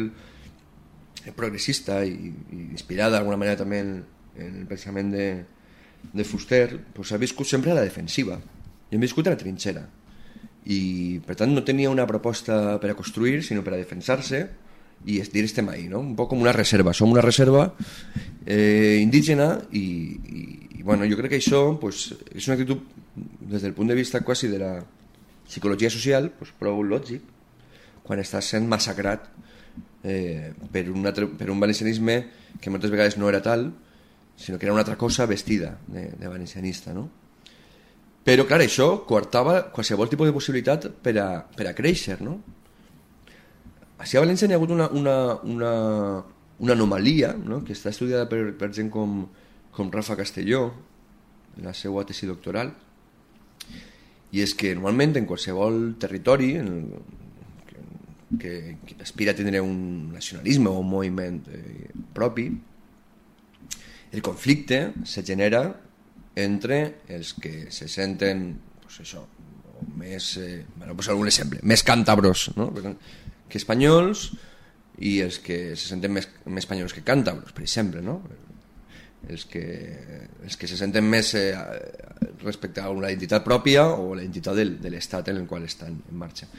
progressista i, i inspirada d'alguna manera també en, en el pensament de, de Fuster, pues ha viscut sempre a la defensiva i hem viscut a la trinxera, i per tant no tenia una proposta per a construir sinó per a defensar-se i dir estem ahí, no? Un poc com una reserva, som una reserva eh, indígena i, i, i bueno, jo crec que això pues, és una actitud des del punt de vista quasi de la psicologia social pues, prou lògic quan estàs sent massacrat eh, per, un altre, per un valencianisme que moltes vegades no era tal sinó que era una altra cosa vestida de, de valencianista, no? Però, clar, això coartava qualsevol tipus de possibilitat per a, per a créixer, no? Així a València hi ha hagut una, una, una, una anomalia, no?, que està estudiada per, per gent com, com Rafa Castelló, en la seva tesi doctoral, i és que normalment en qualsevol territori en el, que, que aspira a tenir un nacionalisme o un moviment eh, propi, el conflicte se genera entre els que se senten pues això, més eh, bueno, pues algun exemple, més càntabros, no? Que espanyols, i els que se senten més, més espanyols que càntabros, per exemple, no? Els que, els que se senten més eh, respecte a una identitat pròpia o la identitat del, de l'estat en el qual estan en marxa.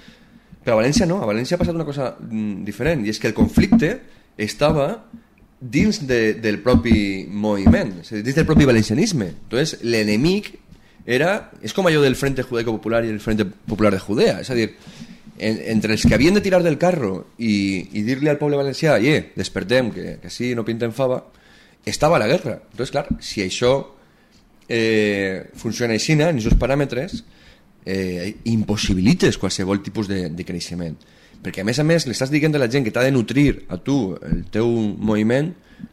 Però a València no, a València ha passat una cosa mm, diferent, i és que el conflicte estava dins de, del propi moviment, és a dir, dins del propi valencianisme. Entonces, l'enemic era, és com allò del Frente Judaico Popular i el Frente Popular de Judea, és a dir, en, entre els que havien de tirar del carro i, i dir-li al poble valencià, eh, despertem, que, que així no pintem fava, estava la guerra. Entonces, clar, si això eh, funciona així, en aquests paràmetres, eh, impossibilites qualsevol tipus de, de creixement. Perquè a més a més li estàs dient a la gent que t'ha de nutrir a tu el teu moviment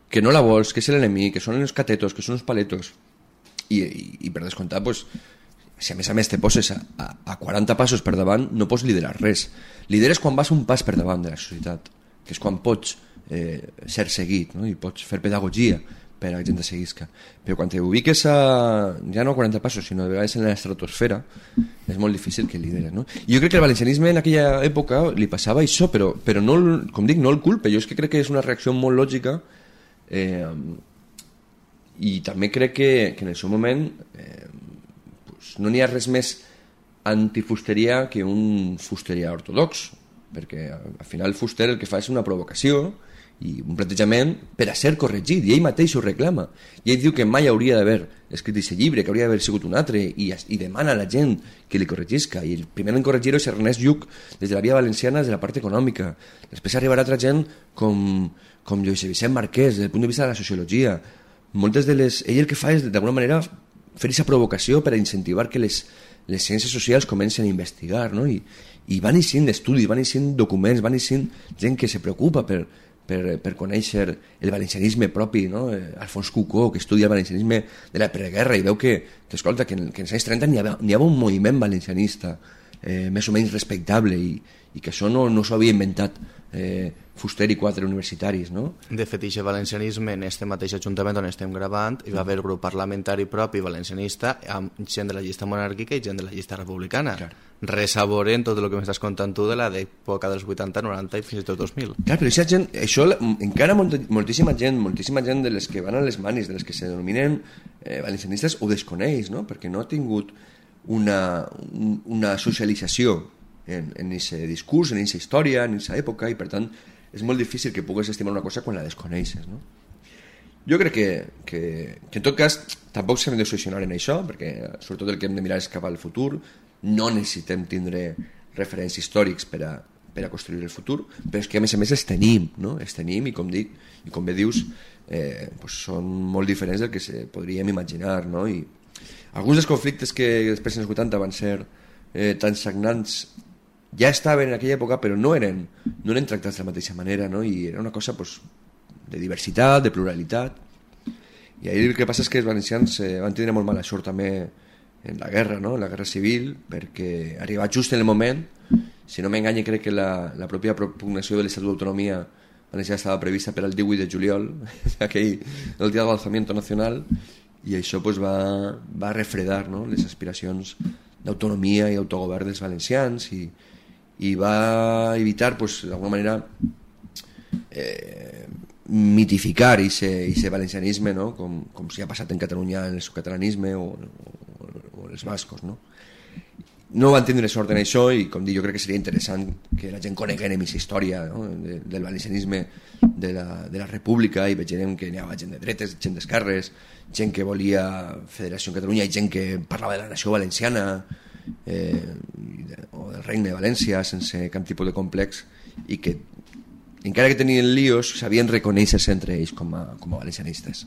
que no la vols, que és l'enemic, que són els catetos, que són els paletos, i, i, i per descomptar pues, si a més a més te poses a, a, a quaranta passos per davant no pots liderar res. Lideres quan vas un pas per davant de la societat, que és quan pots eh, ser seguit, no? I pots fer pedagogia per a la gent de seguisca. Però quan te ubiques a, ja no a quaranta passos, sinó de vegades en l'estratosfera, és molt difícil que lideres, no? I jo crec que el valencianisme en aquella època li passava això, però, però no, com dic, no el culpe. Jo és que crec que és una reacció molt lògica eh, i també crec que, que en el seu moment eh, pues, no n'hi ha res més antifusteria que un fusteria ortodox, perquè al final Fuster el que fa és una provocació i un plantejament per a ser corregit, i ell mateix ho reclama, i ell diu que mai hauria d'haver escrit aquest llibre, que hauria d'haver sigut un altre, i, i demana a la gent que li corregisca, i el primer en corregir-ho és Ernest Lluch des de la via valenciana, des de la part econòmica. Després arribarà altra gent com, com Lluís Vicent Marquès, des del punt de vista de la sociologia. Moltes de les... Ell el que fa és d'alguna manera fer aquesta provocació per a incentivar que les, les ciències socials comencen a investigar, no? I, i van eixint estudis, van eixint documents, van eixint gent que se preocupa per Per, per conèixer el valencianisme propi, no? Alfons Cucó, que estudia el valencianisme de la preguerra i veu que, que escolta, que en, que en els anys trenta n'hi havia, n'hi havia un moviment valencianista eh, més o menys respectable i, i que això no, no s'ho havia inventat eh, Fuster i quatre universitaris, no? De fet, aquest valencianisme en este mateix ajuntament on estem gravant hi va haver grup parlamentari propi valencianista amb gent de la llista monàrquica i gent de la llista republicana. Clar. Res a veure en tot el que m'estàs contant tu de la d'època dels vuitanta, noranta i fins i tot dos mil. Clar, però aquesta gent, això encara molt, moltíssima gent, moltíssima gent de les que van a les manis, de les que se denominen eh, valencianistes, ho desconeix, no? Perquè no ha tingut una, una socialització en aquest discurs, en aquesta història, en aquesta època, i per tant és molt difícil que pugues estimar una cosa quan la desconeixes, no? Jo crec que, que, que en tot cas tampoc s'hem de solucionar en això, perquè sobretot el que hem de mirar és cap al futur. No necessitem tindre referents històrics per a, per a construir el futur, però és que a més a més els tenim, no? Els tenim i com dic, i com bé dius, eh, pues són molt diferents del que se podríem imaginar, no? I alguns dels conflictes que després dels vuitanta van ser eh, tan sagnants ja estaven en aquella època, però no eren, no eren tractats de la mateixa manera, no? I era una cosa pues, de diversitat, de pluralitat. I ahir el que passa és que els valencians eh, van tindre molt mala sort també en la guerra, no? En la guerra civil, perquè arriba just en el moment, si no m'enganye crec que la, la pròpia propugnació de l'Estatut d'Autonomia valenciana estava prevista per al divuit de juliol, aquell, el dia de l'alzamiento nacional, i això pues, va, va refredar, no? Les aspiracions d'autonomia i autogovern dels valencians i, i va evitar pues, d'alguna manera eh, mitificar aquest valencianisme, no? com, com si ha passat en Catalunya en el catalanisme o, o, o els bascos, no? No van tindre sort en això i com dic, jo crec que seria interessant que la gent coneguem aquesta història, no? de, del valencianisme de la, de la república i vegem que n'hi havia gent de dretes, gent d'esquerres, gent que volia Federació en Catalunya i gent que parlava de la nació valenciana eh, o del regne de València sense cap tipus de complex i que encara que tenien líos sabien reconèixer-se entre ells com a, com a valencianistes.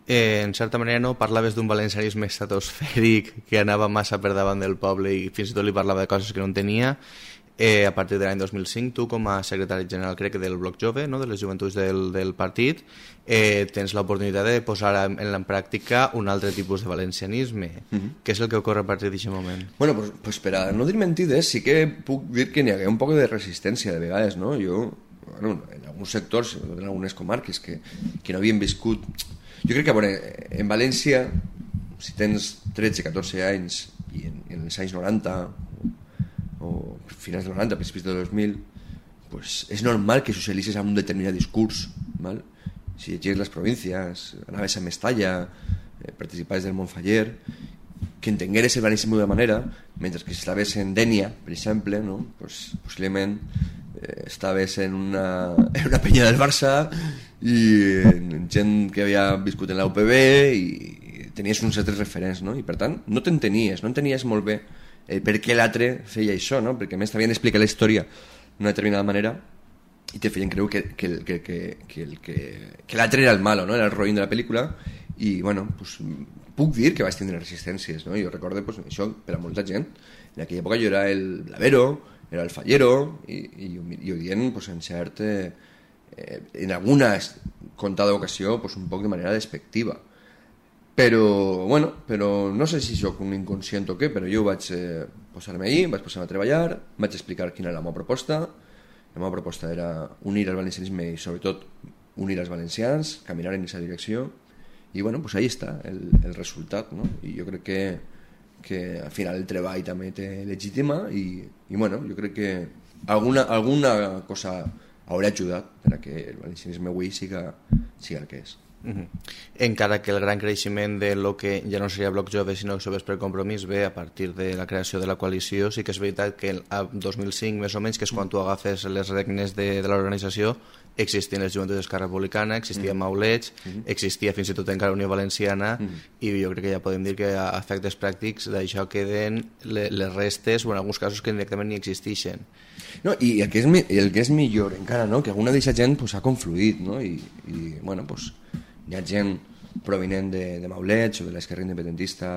Eh, en certa manera no parlaves d'un valencianisme estratosfèric que anava massa per davant del poble i fins i tot li parlava de coses que no en tenia. Eh, a partir de l'any dos mil cinc, tu com a secretari general crec que del Bloc Jove, no? De les joventuts del, del partit, eh, tens l'oportunitat de posar en, en la pràctica un altre tipus de valencianisme. Uh-huh. Què és el que ocorre a partir d'aquest moment? Bueno, pues, pues per a no dir mentides, sí que puc dir que n'hi ha un poc de resistència de vegades, no? Jo, bueno, en alguns sectors, en algunes comarques que, que no havien viscut... Jo crec que, bueno, en València, si tens tretze catorze anys i en, en els anys noranta o, o finals del noranta, principis del dos mil, pues és normal que socialitzes amb un determinat discurs, ¿vale? Si llegies les províncies, anaves a Mestalla, eh, participaves del Montfaller, que entengueres el valencianisme d'una manera, mentre que si estaves en Dénia, per exemple, no? Pues, possiblement eh, estaves en una, en una penya del Barça i en gent que havia viscut en la U P B i tenies uns altres referents, no? I per tant no t'entenies, no entenies molt bé eh, per què l'altre feia això, no? Perquè a més t'havien explicat la història d'una determinada manera i te feien creure que, que, que, que, que, que, que l'altre era el malo, no? Era el roïn de la pel·lícula i bueno, pues, puc dir que vaig tindre resistències, no? Jo recordo pues, això per a molta gent, en aquella època jo era el blavero, era el fallero i, i, i ho dient pues, en cert eh, eh, en alguna contada ocasió pues, un poc de manera despectiva, però bueno, però no sé si soc un inconscient o què, però jo vaig eh, posar-me allí, vaig posar-me a treballar, vaig explicar quina era la meva proposta. La meva proposta era unir el valencianisme i sobretot unir els valencians, caminar en aquesta direcció i bueno, pues ahí està el, el resultat, no? I jo crec que, que al final el treball també té legítima i, i bueno, jo crec que alguna, alguna cosa haurà ajudat per a que el valencianisme avui siga, siga el que és. Uh-huh. Encara que el gran creixement de lo que ja no seria Bloc Jove sinó Joves per Compromís ve a partir de la creació de la coalició, sí que és veritat que a dos mil cinc més o menys, que és quan tu agafes les regnes de, de l'organització, existien les Joventuts d'Esquerra Republicana, existia uh-huh. Maulets, uh-huh. existia fins i tot encara Unió Valenciana uh-huh. i jo crec que ja podem dir que a efectes pràctics d'això queden le, les restes o en alguns casos que directament ni existeixen. No, i el que és, el que és millor encara, no? Que alguna d'aquesta gent pues, ha confluït, no? I, i bueno, pues, hi ha gent provinent de, de Maulets o de l'esquerra independentista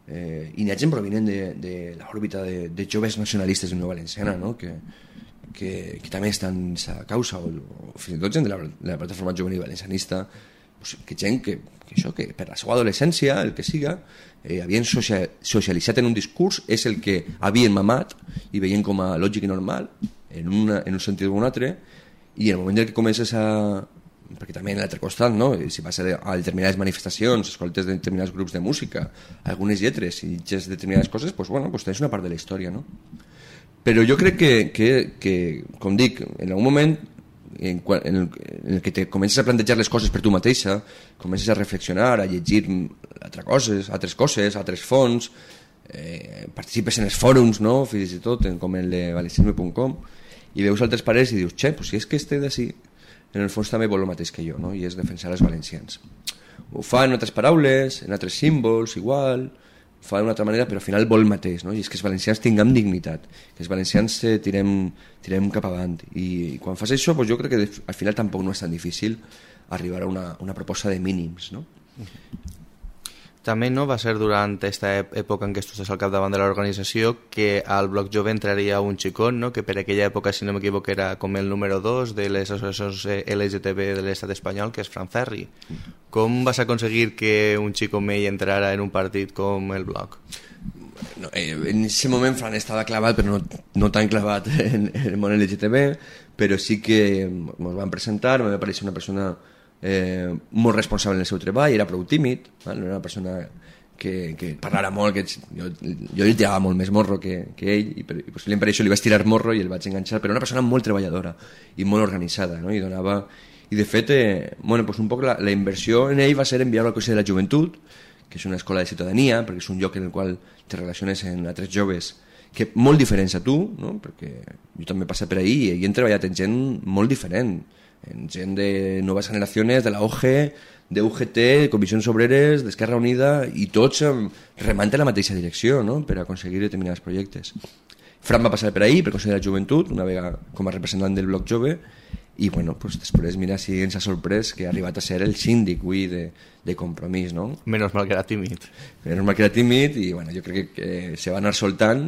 eh, i hi ha gent provinent de, de l'òrbita de, de joves nacionalistes de Unió Valenciana, no? que, que, que també estan en aquesta causa o, o fins i tot gent de la, de la plataforma juvenil valencianista, pues, que gent que, que, això, que per la seva adolescència, el que siga, eh, havien social, socialitzat en un discurs, és el que havien mamat i veien com a lògic i normal en, una, en un sentit o un altre, i en el moment en què comences a... perquè també en l'altre costat, no? Si vas a determinades manifestacions, escoltes determinats grups de música, algunes lletres i llegeixes determinades coses, pues, bueno, pues tens una part de la història, no? Però jo crec que, que, que com dic, en algun moment en, en, el, en el que te comences a plantejar les coses per tu mateixa, comences a reflexionar, a llegir altres coses, altres coses, altres fonts, eh, participes en els fòrums, no? Fins i tot, en, com el de valencianisme punt com, i veus altres pares i dius, xe, pues si és que este d'ací en el fons també vol el mateix que jo, no? I és defensar els valencians. Ho fa en altres paraules, en altres símbols, igual, ho fa d'una altra manera, però al final vol el mateix, no? I és que els valencians tinguem dignitat, que els valencians eh, tirem, tirem cap avant. I, i quan fas això, pues jo crec que al final tampoc no és tan difícil arribar a una, una proposta de mínims, no? També no va ser durant aquesta època en què tu estàs al capdavant de l'organització que al Bloc Jove entraria un xicot, no? Que per aquella època, si no m'equivoco, era com el número dos de les associacions L G T B de l'estat espanyol, que és Fran Ferri. Com vas aconseguir que un xico mell entrara en un partit com el Bloc? No, eh, en aquest moment Fran estava clavat, però no, no tan clavat en, en el món L G T B, però sí que ens van presentar, em va aparèixer una persona eh, molt responsable en el seu treball, era prou tímid, val? No era una persona que, que parlara molt, que jo, jo li tirava molt més morro que, que ell, i, per, i possiblement per això li vaig tirar morro i el vaig enganxar, però una persona molt treballadora i molt organitzada, no? I donava... I de fet, eh, bueno, pues un poc la, la inversió en ell va ser enviar-lo al Consell de la Joventut, que és una escola de ciutadania, perquè és un lloc en el qual te relaciones amb altres joves que molt diferents a tu, no? Perquè jo també he passat per ahí i he treballat amb gent molt diferent, en gent de noves generacions, de la O G, de U G T, Comissions Obreres, d'Esquerra Unida, i tots remant en la mateixa direcció, no? Per aconseguir determinats projectes. Fran va passar per ahí, per Consell de la Joventut, una vegada com a representant del Bloc Jove, i bueno, pues després mira si ens ha sorprès que ha arribat a ser el síndic avui de, de Compromís, no? Menos mal que era tímid. Menos mal que era tímid i bueno, jo crec que, que se va anar soltant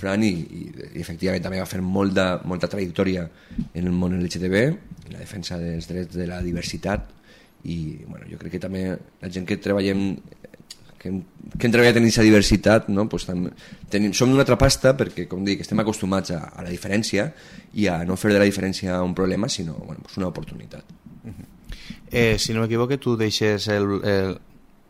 Fran i, i, i efectivament també va fer molta, molta trajectòria en el món L G T B, en la defensa dels drets de la diversitat i bueno, jo crec que també la gent que treballem que hem, que hem treballat en aquesta diversitat, no? Pues tam, tenim, som d'una altra pasta perquè, com dic, estem acostumats a, a la diferència i a no fer de la diferència un problema, sinó bueno, pues una oportunitat. Uh-huh. eh, si no m'equivoco, tu deixes el, el,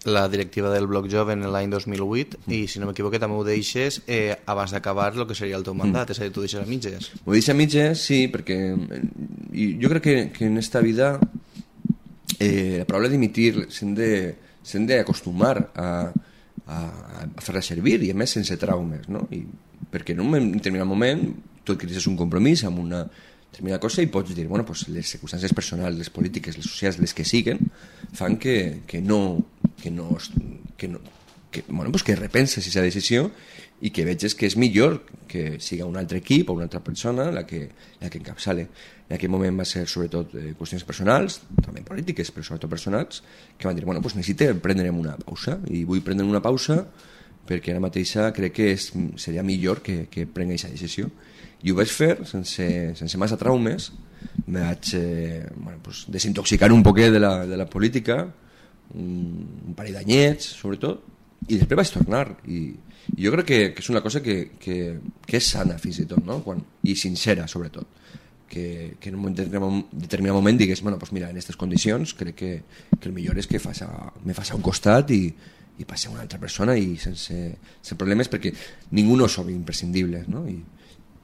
la directiva del Bloc Jove en l'any dos mil vuit uh-huh. i si no m'equivoco també ho deixes eh, abans d'acabar el que seria el teu mandat, uh-huh. és a dir, tu deixes a mitges. Ho deixes a mitges, sí, perquè i jo crec que, que en esta vida eh, la paraula dimitir s'hem de s'hem d'acostumar a, a, a fer-la servir i a més sense traumes, no? I perquè en un determinat moment tu adquiris un compromís amb una determinada cosa i pots dir, bueno, pues les circumstàncies personals, les polítiques, les socials, les que siguen fan que, que no que no, que, no que, bueno, pues que repenses aquesta decisió i que veges que és millor que siga un altre equip o una altra persona la que, la que encapçale. En aquell moment va ser sobretot eh, qüestions personals, també polítiques, però sobretot personals, que van dir, bueno, pues necessite prendre'm una pausa i vull prendre una pausa perquè ara mateixa crec que és, seria millor que, que prengui aquesta decisió. I ho vaig fer sense, sense massa traumes, me vaig eh, bueno, pues, desintoxicar un poquet de la, de la política, un, un parell d'anyets, sobretot, i després vaig tornar. I, i jo crec que, que és una cosa que, que, que és sana, fins i tot, no? Quan, i sincera, sobretot. Que, que en un determinat moment digués, bueno, pues mira, en aquestes condicions crec que, que el millor és que faça, me faci un costat i, i passi a una altra persona i sense, sense problemes, perquè ningú no som imprescindibles, no? I,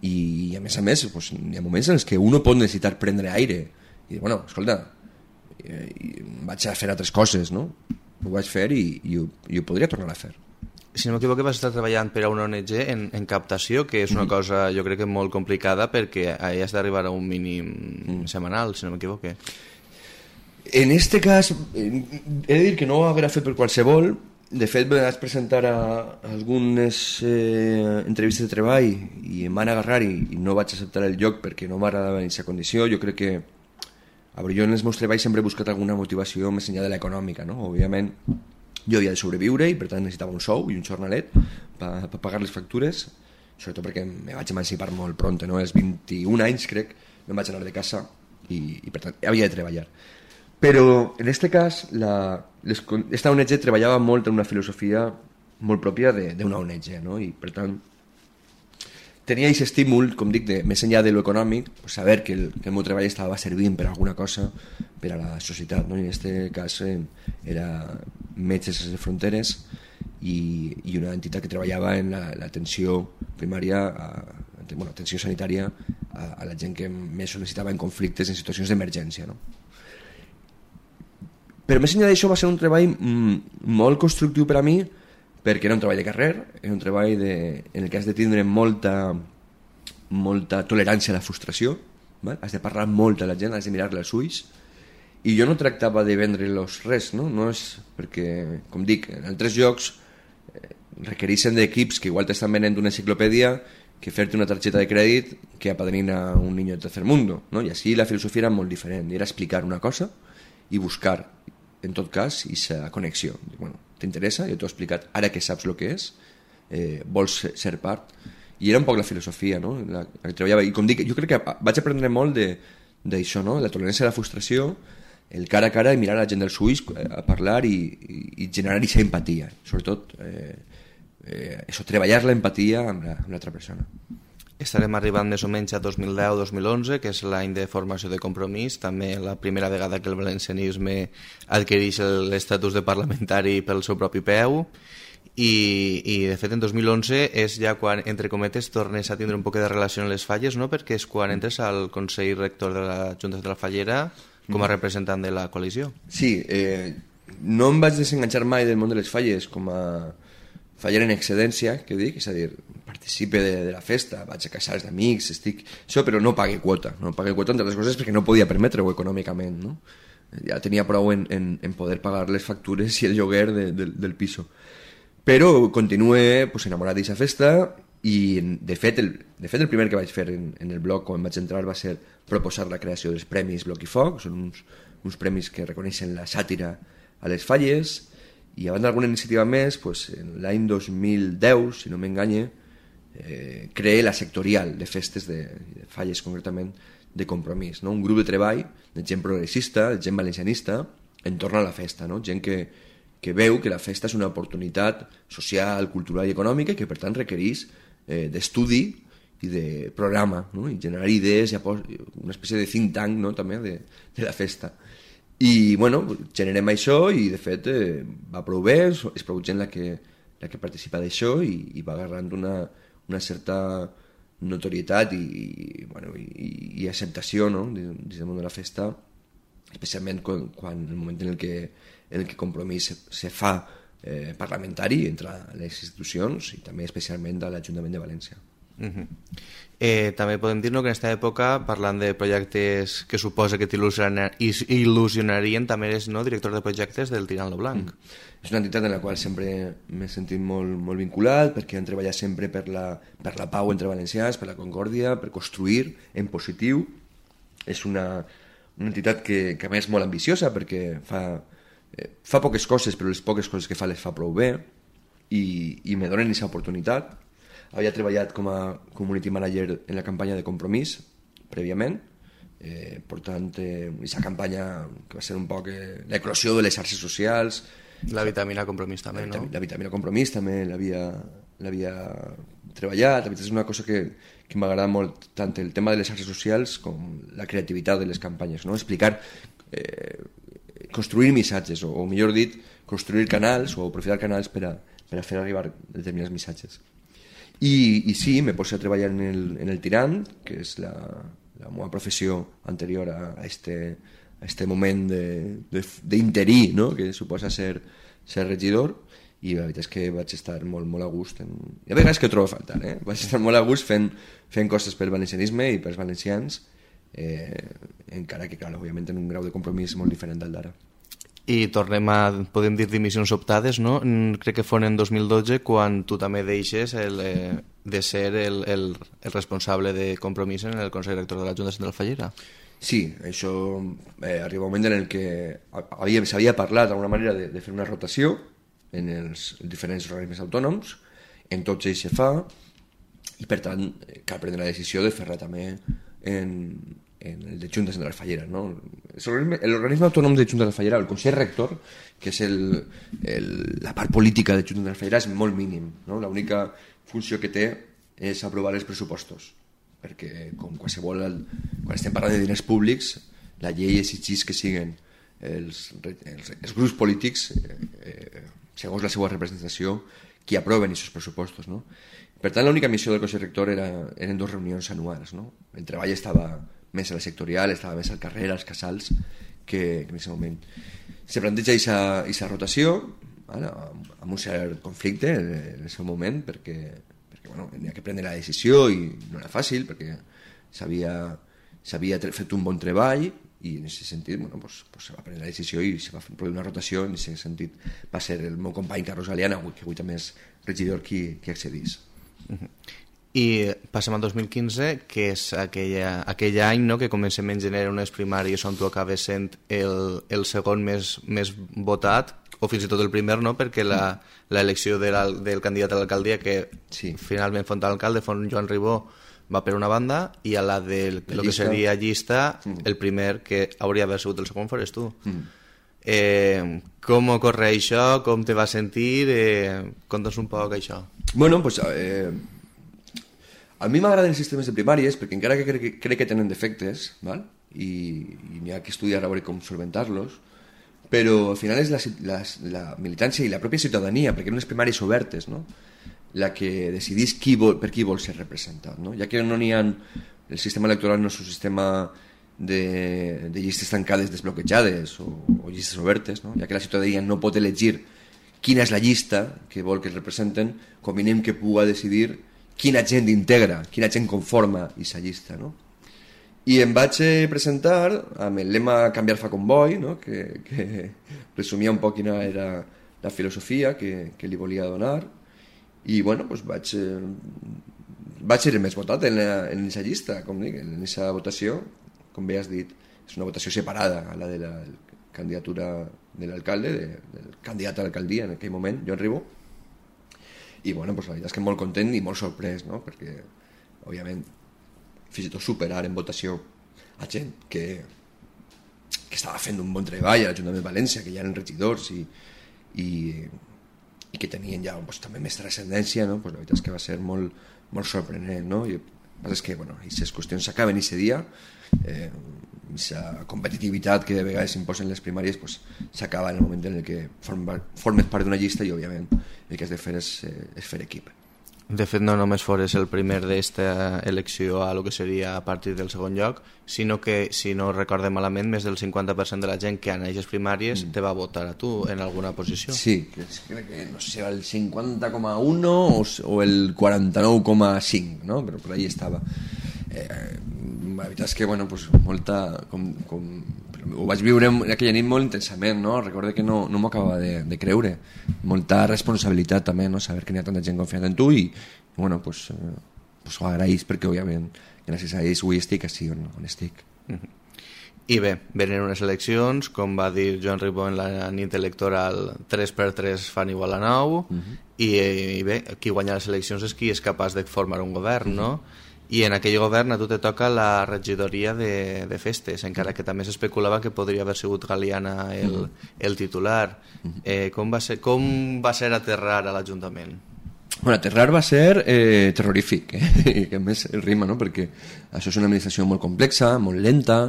i, i a més a més pues, hi ha moments en els que uno pot necessitar prendre aire i dir, bueno, escolta, i, i vaig a fer altres coses, no? Ho vaig fer i, i, ho, i ho podria tornar a fer. Si no m'equivoco, vas estar treballant per a una O N G en, en captació, que és una mm. cosa jo crec que molt complicada perquè has d'arribar a un mínim mm. setmanal, si no m'equivoco. En este cas, he de dir que no ho haurà fet per qualsevol. De fet, me vaig presentar a algunes eh, entrevistes de treball i em van agarrar i, i no vaig acceptar el lloc perquè no m'agradava en aquesta condició. Jo crec que a veure, jo en els meus treballs sempre he buscat alguna motivació més enllà de l'econòmica, no? Òbviament, jo havia de sobreviure i per tant necessitava un sou i un jornalet per, per pagar les factures, sobretot perquè me vaig emancipar molt pront, no? Als vint-i-un anys crec, me'n vaig anar de casa i, i per tant havia de treballar. Però en aquest cas la, les, esta O N G treballava molt en una filosofia molt pròpia d'una O N G, no? I per tant tenia aquest estímul, com dic, de, més enllà de lo econòmic, pues, saber que el, que el meu treball estava servint per alguna cosa per a la societat, no? I en aquest cas eh, era Metges Sense Fronteres i, i una entitat que treballava en l'atenció la, primària, a, bueno, atenció sanitària a, a la gent que més ho necessitava en conflictes, en situacions d'emergència, no? Però més enllà d'això va ser un treball mm, molt constructiu per a mi, perquè era un treball de carrer, era un treball de, en el que has de tindre molta, molta tolerància a la frustració, val? Has de parlar molt a la gent, has de mirar-la als ulls, i jo no tractava de vendre-los res, no? No és perquè, com dic, en altres llocs eh, requereixen d'equips que igual t'estan venent una enciclopèdia que fer-te una targeta de crèdit que apadrina un niño de tercer mundo, no? I així la filosofia era molt diferent, era explicar una cosa i buscar, en tot cas, aquesta connexió. Bueno, t'interessa? Jo t'ho he explicat, ara que saps el que és, eh, vols ser part? I era un poc la filosofia, no? La, la que treballava. I com dic, jo crec que vaig aprendre molt d'això, no? La tolerància a la frustració, el cara a cara i mirar a la gent dels ulls a parlar i, i, i generar aquesta empatia. Sobretot, eh, eh, això, treballar l'empatia amb l'altra persona. Estarem arribant més o menys a dos mil deu dos mil onze, que és l'any de formació de Compromís, també la primera vegada que el valencianisme adquireix l'estatus de parlamentari pel seu propi peu, i, i de fet en dos mil onze és ja quan, entre cometes, tornes a tindre un poc de relació amb les Falles, no? Perquè és quan entres al Consell Rector de la Junta de la Fallera com a representant de la coalició. Sí, eh, no em vaig desenganxar mai del món de les Falles com a faller en excedència, que dic, és a dir, participe de, de la festa, vaig a casals d'amics, estic... Això, però no pague quota, no pague quota entre les coses perquè no podia permetre-ho econòmicament, no? Ja tenia prou en, en, en poder pagar les factures i el lloguer de, de, del piso. Però continué pues, enamorat d'aquesta festa i, de fet, el, de fet, el primer que vaig fer en, en el blog quan vaig entrar va ser proposar la creació dels Premis Bloc i Foc, són uns, uns premis que reconeixen la sàtira a les Falles, i abans d'alguna iniciativa més, pues, en l'any dos mil deu, si no m'enganye, eh, creé la sectorial de festes de, de Falles, concretament, de Compromís, no? Un grup de treball de gent progressista, de gent valencianista, entorn a la festa, no? Gent que, que veu que la festa és una oportunitat social, cultural i econòmica i que, per tant, requereix eh, d'estudi i de programa, no? I generar idees, i una espècie de think tank, no? També de, de la festa. I, bueno, generem això i, de fet, eh, va prou bé, és prou gent la que, la que participa d'això i, i va agarrant una, una certa notorietat i, i, bueno, i, i acceptació, no? Dins del món de la festa, especialment quan, quan el moment en el que, en el que Compromís se, se fa eh, parlamentari entre les institucions i també especialment de l'Ajuntament de València. Uh-huh. eh, també podem dir-nos que en aquesta època, parlant de projectes que suposa que t'il·lusionarien, també eres, no, director de projectes del Tirant lo Blanc. Mm. És una entitat en la qual sempre m'he sentit molt, molt vinculat, perquè han treballat sempre per la, per la pau entre valencians, per la concòrdia, per construir en positiu. És una, una entitat que, que a més és molt ambiciosa, perquè fa, eh, fa poques coses, però les poques coses que fa les fa prou bé, i, i me donen aquesta oportunitat. Havia treballat com a community manager en la campanya de Compromís, prèviament, eh, per tant, aquesta eh, campanya que va ser un poc eh, l'eclosió de les xarxes socials. La vitamina Compromís també, la, no? La vitamina Compromís també l'havia treballat. La veritat és una cosa que, que m'agrada molt, tant el tema de les xarxes socials com la creativitat de les campanyes, no? Explicar, eh, construir missatges, o, o millor dit, construir canals o aprofitar canals per a, per a fer arribar determinats missatges. I, i sí, me poso a treballar en el, en el Tirant, que és la, la meva professió anterior a, a, este, a este moment d'interí, no? Que suposa ser, ser regidor, i la veritat és que vaig estar molt, molt a gust. En... I a vegades que ho trobo a faltar, eh? Vaig estar molt a gust fent, fent coses pel valencianisme i pels valencians, eh, encara que, clar, òbviament, en un grau de compromís molt diferent del d'ara. I tornem a, podem dir, dimissions optades, no? Crec que fon en dos mil dotze quan tu també deixes el, eh, de ser el, el, el responsable de Compromís en el Consell Rector de la Junta de la Fallera. Sí, això eh, arriba un moment en el que s'havia parlat d'alguna manera de, de fer una rotació en els diferents organismes autònoms, en tots ells se fa, i per tant cal prendre la decisió de fer-la també en, en el de Juntes de la Fallera, ¿no? Es el organisme autònom de Juntes de la Fallera, el Consell Rector, que és el, el, la part política de Juntes de la Fallera, és molt mínim, no? L'única funció que té és aprovar els pressupostos, perquè com qualsevol, quan estem parlant de diners públics, la llei exigeix que siguin els, els, els grups polítics, eh, eh, segons la seva representació, qui aproven aquests pressupostos, no? Per tant, l'única missió del Consell Rector era, eren dues reunions anuals, no? El treball estava més a la sectorial, estava més al carrer, als casals, que, que en aquest moment. Se planteja aquesta rotació, ¿vale? Amb un cert conflicte en el seu moment, perquè, perquè bueno, havia que prendre la decisió i no era fàcil, perquè s'havia fet un bon treball i en aquest sentit bueno, pues, pues se va prendre la decisió i se va produir una rotació. En aquest sentit va ser el meu company Carlos Aliana, que avui també és regidor, qui, qui accedís. Uh-huh. I passem al dos mil quinze, que és aquella, aquell any, no?, que comencem en gener unes primàries on tu acabes sent el, el segon més, més votat, o fins i tot el primer, no?, perquè l'elecció de del candidat a l'alcaldia, que sí, finalment font alcalde, font Joan Ribó, va per una banda, i a la de lo que seria llista, mm. el primer que hauria d'haver sigut el segon fores tu. Mm. Eh, com ocorre això? Com te va sentir? Eh, Conta'ns un poc això. Bueno, pues eh, a mi m'agraden els sistemes de primàries perquè encara que crec, crec que tenen defectes, ¿val? i, i n'hi ha que estudiar a veure com solventar-los, però al final és la, la, la militància i la pròpia ciutadania, perquè eren unes primàries obertes, no?, la que decidís qui vol, per qui vol ser representat, no? Ja que no n'hi ha, el sistema electoral no és un sistema de, de llistes tancades desbloquejades o, o llistes obertes, no? Ja que la ciutadania no pot elegir quina és la llista que vol que es representen, convenim que pugui decidir quina gent integra, quina gent conforma aquesta llista, no? I em vaig presentar amb el lema Canviar fa convoi, no?, que, que resumia un poc quina era la filosofia que, que li volia donar. I bueno, doncs vaig, eh, vaig ser el més votat en aquesta llista, com dic, en aquesta votació, com bé has dit, és una votació separada a la de la candidatura de l'alcalde, de, del candidat a l'alcaldia en aquell moment, Joan Ribó. I bueno, doncs la veritat és que molt content i molt sorprès, no?, perquè, òbviament, fins i tot superar en votació a gent que, que estava fent un bon treball a l'Ajuntament de València, que ja eren regidors i, i i que tenien ja pues, també més transcendència, no? Pues la veritat és que va ser molt, molt sorprenent, no? I el que passa és que, bueno, aquestes qüestions s'acaben aquest dia, eh, aquesta competitivitat que de vegades s'imposen les primàries pues, s'acaba en el moment en el que formes, formes part d'una llista i, òbviament, el que has de fer és, eh, és fer equip. De fet, no només fores el primer d'esta elecció a lo que seria a partir del segon lloc, sinó que, si no recordem malament, més del cinquanta per cent de la gent que en aquestes primàries mm. te va votar a tu en alguna posició. Sí, crec que, no sé, el cinquanta coma un o, o el quaranta-nou coma cinc, no? Però per ahí estava. Eh, la veritat és que, bueno, pues, molta... Com, com, ho vaig viure aquella nit molt intensament, no? Recordo que no, no m'ho acabava de, de creure. Molta responsabilitat també, no? Saber que n'hi ha tanta gent confiant en tu i, bueno, pues, eh, pues ho agraïs perquè, òbviament, gràcies a ells avui estic així on, on estic. Mm-hmm. I bé, venen unes eleccions, com va dir Joan Ribó en la nit electoral, tres per tres fan igual a nou, mm-hmm. i, i bé, qui guanya les eleccions és qui és capaç de formar un govern, mm-hmm. no? I en aquell govern a tu te toca la regidoria de, de festes, encara que també s'especulava que podria haver sigut Galiana el, el titular. Eh, com, va ser, com va ser aterrar a l'Ajuntament? Bueno, aterrar va ser eh, terrorífic, eh? Que a més el rima, no? Perquè això és una administració molt complexa, molt lenta,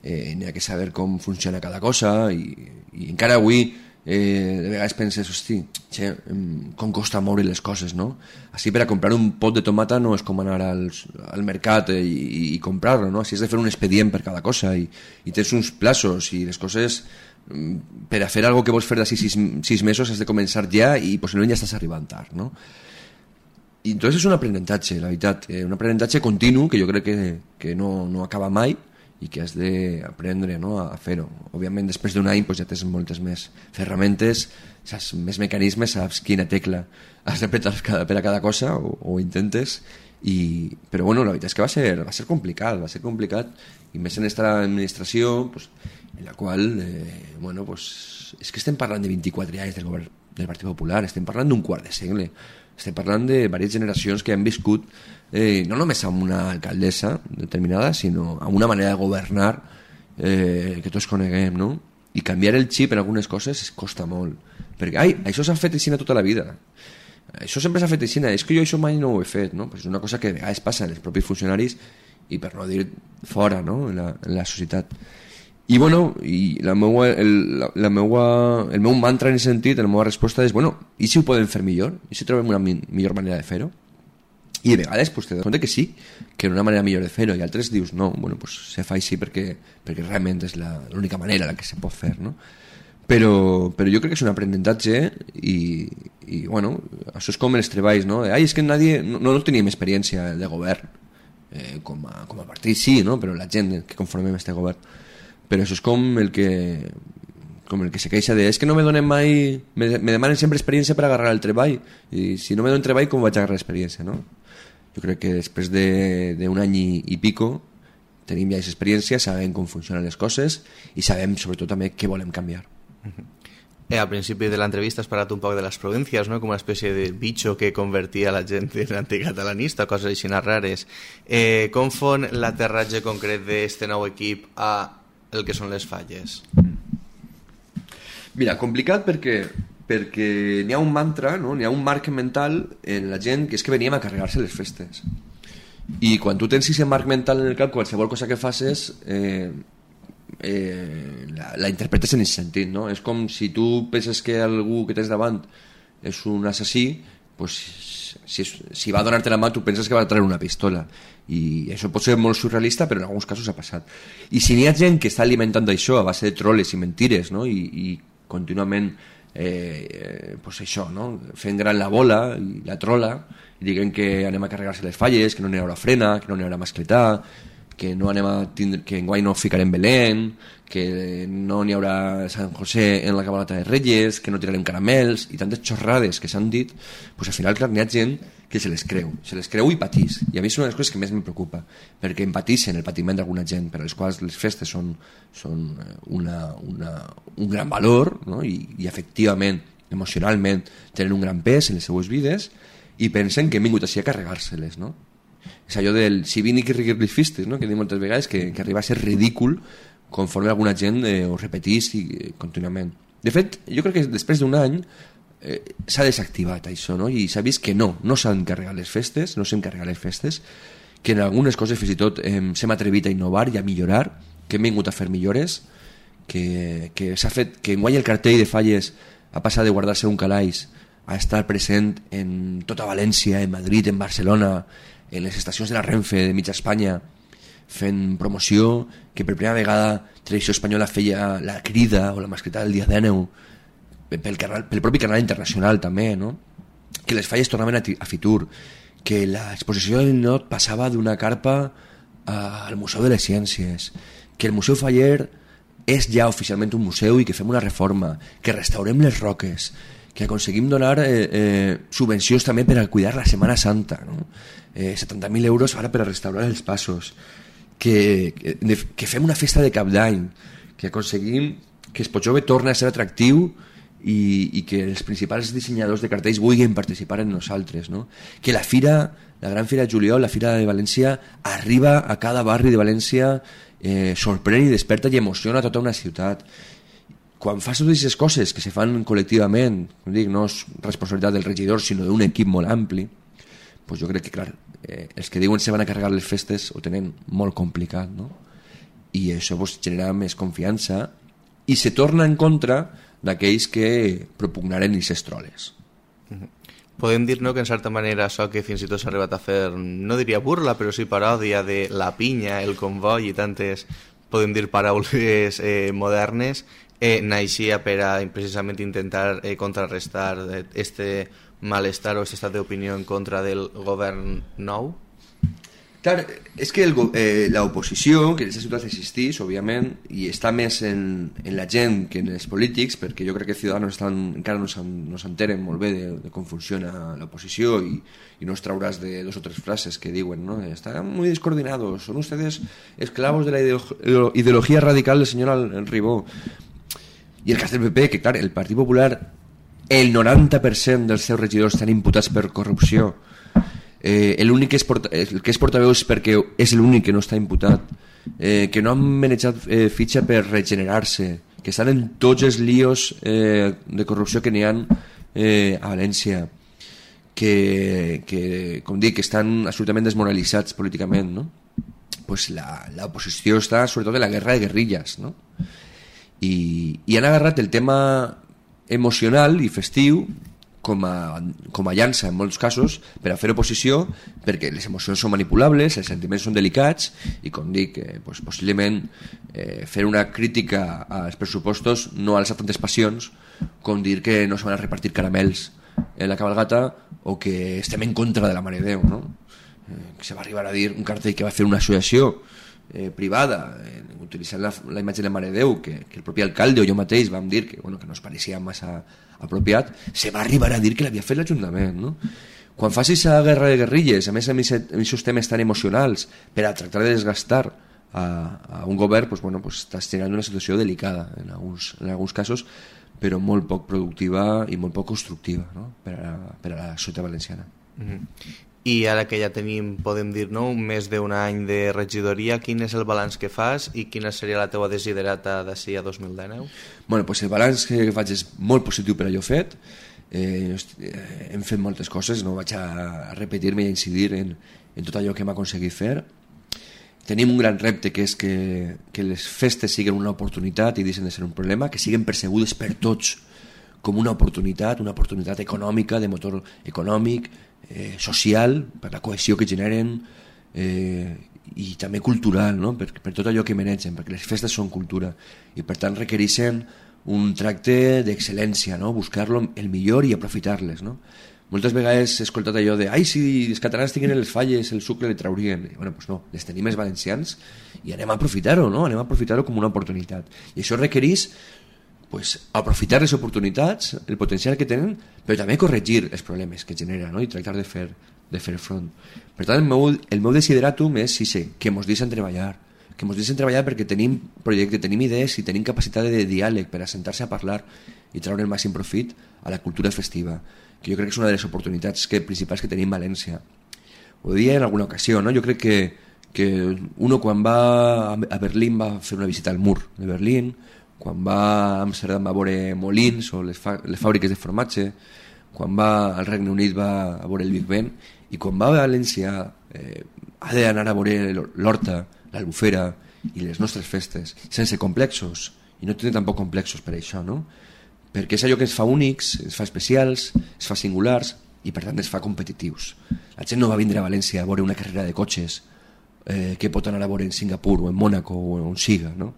eh, n'hi ha que saber com funciona cada cosa i, i encara avui eh, de vegades penses, hosti, che, com costa moure les coses, no? Així per a comprar un pot de tomata no és com anar als, al mercat i, i, i comprar-lo, no? Així has de fer un expedient per cada cosa i, i tens uns plaços i les coses, per a fer algo que vols fer d'ací sis, sis mesos has de començar ja i possiblement ja estàs arribant tard, no? I entonces és un aprenentatge, la veritat, eh, un aprenentatge continu que jo crec que, que no, no acaba mai i que has d'aprendre, no?, a fer-ho. Òbviament, després d'un any pues, ja tens moltes més ferramentes, saps més mecanismes, saps quina tecla has d'apretar per a cada cosa o, o intentes, i, però bueno, la veritat és que va ser, va ser complicat, va ser complicat, i més en aquesta administració pues, en la qual, eh, bueno, pues, és que estem parlant de vint-i-quatre anys del govern del Partit Popular, estem parlant d'un quart de segle. estem parlant de diverses generacions que han viscut eh, no només amb una alcaldessa determinada, sinó amb una manera de governar eh, que tots coneguem, no? I canviar el xip en algunes coses es costa molt, perquè ai, això s'ha fet així tota la vida, això sempre s'ha fet així, és que jo això mai no ho he fet, no? Pues és una cosa que a vegades passa en els propis funcionaris i per no dir fora, no? en, la, en la societat. I bueno, i la meua, el, la, la meua, el meu mantra en aquest sentit, la meva resposta és, bueno, i si ho podem fer millor? I si trobem una mi, millor manera de fer-ho? I de vegades pues, te dones compte que sí, que una manera millor de fer-ho, i altres dius, no, bueno, pues, se fa així perquè, perquè realment és l'única manera la que se pot fer, no? Però, però jo crec que és un aprenentatge i, i bueno, això és com els treballs, no? Ai, és que nadie, no, no teníem experiència de govern, eh, com, a, com a partit sí, no? Però la gent que conformem este govern. Però això és com el que com el que se queixa de és que no me donen mai, me, me demanen sempre experiència per agarrar el treball, i si no me donen treball com vaig agarrar l'experiència, no? Jo crec que després d'un any i, i pico tenim ja aquesta experiència, sabem com funcionen les coses i sabem sobretot també què volem canviar. Eh, al principi de l'entrevista has parlat un poc de les províncies, no? Com una espècie de bitxo que convertia la gent en anticatalanista, coses així rares. Eh, com fon l'aterratge concret d'aquest nou equip a el que són les Falles? Mira, complicat perquè perquè n'hi ha un mantra, no? N'hi ha un marc mental en la gent que és que veníem a carregar-se les festes, i quan tu tens aquest marc mental en el cap, qualsevol cosa que facis eh, eh, la, la interpretes en aquest sentit, no? És com si tu penses que algú que tens davant és un assassí, pues, si, si va a donar-te la mà tu penses que va a treure una pistola, i això pot ser molt surrealista, però en alguns casos ha passat. I si n'hi ha gent que està alimentant això a base de troles i mentires, no? I, i contínuament eh, eh, pues això, no? Fent gran la bola i la trola i diguem que anem a carregar-se les falles, que no n'hi haurà frena, que no n'hi haurà mascletà, que no anem a tindre, que enguany no ficarem Belén, que no n'hi haurà Sant José en la cabalgata de Reyes, que no tirarem caramels i tantes xorrades que s'han dit, pues al final clar, n'hi ha gent que se les creu, se les creu i patís, i a mi és una de les coses que més em preocupa, perquè empatissen el patiment d'alguna gent, per a les quals les festes són, són una, una, un gran valor, no? I, i efectivament, emocionalment tenen un gran pes en les seues vides i pensen que hem vingut així a carregar-se-les, no? És allò del si vini que riguir les festes, no? Que dic moltes vegades que, que arriba a ser ridícul conforme alguna gent eh, ho repetís i, eh, contínuament. De fet, jo crec que després d'un any eh, s'ha desactivat això, no? I s'ha vist que no, no s'han carregat les festes, no s'han carregat les festes, que en algunes coses fins i tot eh, s'hem atrevit a innovar i a millorar, que hem vingut a fer millores, que, que s'ha fet, que enguany el cartell de Falles ha passat de guardar-se un calaix a estar present en tota València, en Madrid, en Barcelona, en les estacions de la Renfe de mitja Espanya, fent promoció, que per primera vegada Televisió Espanyola feia la crida o la mascleta del dia d'Àneu pel, canal, pel propi canal internacional també, no? Que les falles tornaven a, a Fitur, que l'exposició del Ninot passava d'una carpa a, al Museu de les Ciències, que el Museu Faller és ja oficialment un museu i que fem una reforma, que restaurem les roques, que aconseguim donar eh, eh, subvencions també per a cuidar la Setmana Santa, no? eh, setanta mil euros ara per a restaurar els passos, que, que, que fem una festa de cap d'any, que aconseguim que Espotjove torni a ser atractiu i, i que els principals dissenyadors de cartells vulguin participar en nosaltres, no? Que la fira, la gran fira de juliol, la fira de València, arriba a cada barri de València, eh, sorprèn i desperta i emociona tota una ciutat. Quan fas totes aquestes coses que se fan col·lectivament, com dic, no és responsabilitat del regidor sinó d'un equip molt ampli, pues jo crec que clar, eh, els que diuen se van a carregar les festes ho tenen molt complicat, no? I això pues, genera més confiança i se torna en contra d'aquells que propugnaren aquestes troles. Podem dir, no, que en certa manera això que fins i tot s'ha arribat a fer, no diria burla, però sí paròdia de la pinya, el comboi i tantes, podem dir, paraules eh, modernes, eh, naixia per a precisament intentar eh, contrarrestar este malestar o este estat d'opinió en contra del govern nou? Clar, és que el, eh, l'oposició, que en aquesta ciutat existeix, òbviament, i està més en, en la gent que en els polítics, perquè jo crec que Ciudadanos estan, encara no, no s'enteren molt bé de, de com funciona l'oposició i, i no es trauràs de dos o tres frases que diuen, ¿no? Están muy descoordinados, son ustedes esclavos de la ideo- ideología radical del señor Ribó. I el cas del P P, que clar, el Partit Popular el noranta per cent dels seus regidors estan imputats per corrupció, eh, l'únic que és porta, el que és portaveu és perquè és l'únic que no està imputat, eh, que no han manejat eh, fitxa per regenerar-se, que estan en tots els líos eh, de corrupció que n'hi ha eh, a València, que, que, com dic, que estan absolutament desmoralitzats políticament, no? Pues la, la oposició està sobretot en la guerra de guerrilles, no? I, i han agarrat el tema emocional i festiu com a, com a llança en molts casos per a fer oposició, perquè les emocions són manipulables, els sentiments són delicats i, com dic, eh, pues, possiblement eh, fer una crítica als pressupostos no alça tantes passions com dir que no se van a repartir caramels en la cabalgata o que estem en contra de la Mare de Déu, no? Eh, que se va arribar a dir un cartell que va fer una associació eh, privada eh, utilitzant la, la imatge de la Mare de Déu que, que el propi alcalde o jo mateix vam dir que, bueno, que no es pareixia massa apropiat, se va arribar a dir que l'havia fet l'Ajuntament, no? Quan facis a guerra de guerrilles, a més amb aquests temes tan emocionals per a tractar de desgastar a, a un govern, pues, bueno, pues, estàs generant una situació delicada en alguns, en alguns casos, però molt poc productiva i molt poc constructiva, no? per, a, per a la societat valenciana. Mm-hmm. I ara que ja tenim, podem dir, no, un més d'un any de regidoria, quin és el balanç que fas i quina seria la teua desiderata d'ací a dos mil dinou? Bueno, pues el balanç que faig és molt positiu per allò fet. Eh, hem fet moltes coses, no vaig a repetir-me i a incidir en, en tot allò que hem aconseguit fer. Tenim un gran repte, que és que, que les festes siguin una oportunitat i deixen de ser un problema, que siguin percebudes per tots com una oportunitat, una oportunitat econòmica, de motor econòmic, eh, social, per la cohesió que generen, eh, i també cultural, no? per, per tot allò que manegen, perquè les festes són cultura i per tant requereixen un tracte d'excel·lència, no? Buscar-lo el millor i aprofitar-les, no? Moltes vegades he escoltat allò de ai, si els catalans tinguin les falles el sucre li traurien. I, bueno, pues no, les tenim els valencians i anem a aprofitar-ho, no? Anem a aprofitar-ho com una oportunitat, i això requereix pues, aprofitar les oportunitats, el potencial que tenen, però també corregir els problemes que genera, no? I tractar de fer, de fer front. Per tant, el meu, el meu desideratum és sí, sí, que ens deixen treballar, que ens deixen treballar perquè tenim projecte, tenim idees i tenim capacitat de diàleg per assentar-se a parlar i treure el màxim profit a la cultura festiva, que jo crec que és una de les oportunitats que, principals que tenim a València. Ho deia en alguna ocasió, no? Jo crec que, que uno quan va a Berlín va fer una visita al mur de Berlín, quan va a Amsterdam va a veure molins o les, fa les fàbriques de formatge, quan va al Regne Unit va a veure el Big Ben, i quan va a València eh, ha d'anar a veure l'Horta, l'Albufera i les nostres festes, sense complexos, i no té tampoc complexos per això, no? Perquè és allò que ens fa únics, ens fa especials, ens fa singulars i per tant ens fa competitius. La gent no va vindre a València a veure una carrera de cotxes eh, que pot anar a veure en Singapur o en Mònaco o on siga, no?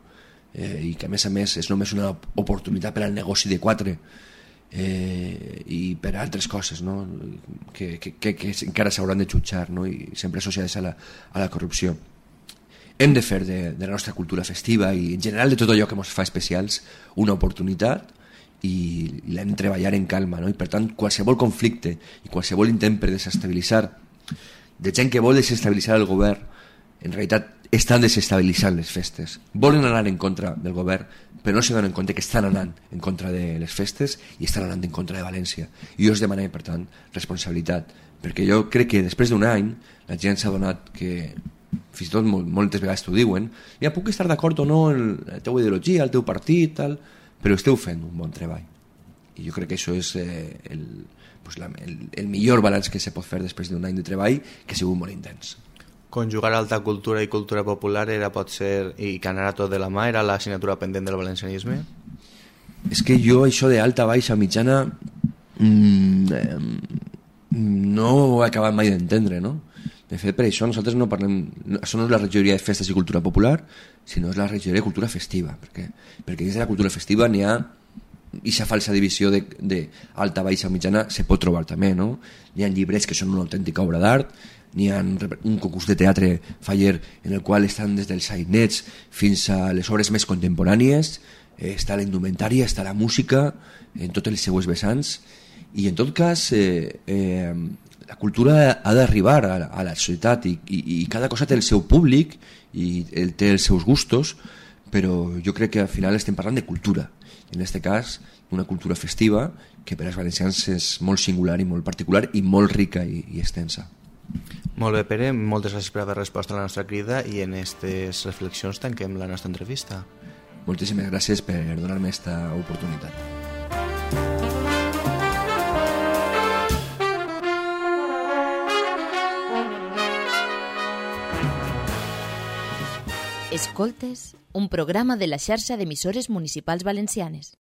Eh, i que a més a més és només una oportunitat per al negoci de quatre eh, i per a altres coses, no? que, que, que, que encara s'hauran de jutjar, no? I sempre associades a la, a la corrupció. Hem de fer de, de la nostra cultura festiva i en general de tot allò que ens fa especials una oportunitat i l'hem de treballar en calma, no? I per tant qualsevol conflicte i qualsevol intent per desestabilitzar de gent que vol desestabilitzar el govern en realitat estan desestabilitzant les festes, volen anar en contra del govern però no se donen compte que estan anant en contra de les festes i estan anant en contra de València, i jo us demano per tant responsabilitat, perquè jo crec que després d'un any la gent s'ha donat que fins i tot moltes vegades t'ho diuen, ja puc estar d'acord o no en la teva ideologia, el teu partit tal, però esteu fent un bon treball i jo crec que això és eh, el, pues la, el, el millor balanç que se pot fer després d'un any de treball que ha sigut molt intens. Conjugar alta cultura i cultura popular era potser, i que anara tot de la mà, era l'assignatura pendent del valencianisme? És que jo això d'alta, baixa, mitjana mmm, eh, no ho he acabat mai d'entendre, no? De fet, per això nosaltres no parlem, això no és la regidoria de festes i cultura popular, sinó és la regidoria de cultura festiva, perquè, perquè dins de la cultura festiva n'hi ha aquesta falsa divisió d'alta, baixa, mitjana se pot trobar també, no? N'hi ha llibres que són una autèntica obra d'art, n'hi ha un concurs de teatre faller en el qual estan des dels sainets fins a les obres més contemporànies, eh, està la indumentària, està la música en tots els seues vessants, i en tot cas eh, eh, la cultura ha d'arribar a, a la societat i, i, i cada cosa té el seu públic i el, té els seus gustos, però jo crec que al final estem parlant de cultura En aquest cas, una cultura festiva que per als valencians és molt singular i molt particular i molt rica i, i extensa. Molt bé, Pere, moltes gràcies per haver respost a la nostra crida i en aquestes reflexions tanquem la nostra entrevista. Moltíssimes gràcies per donar-me aquesta oportunitat. Escoltes, un programa de la xarxa d'emissores municipals valencianes.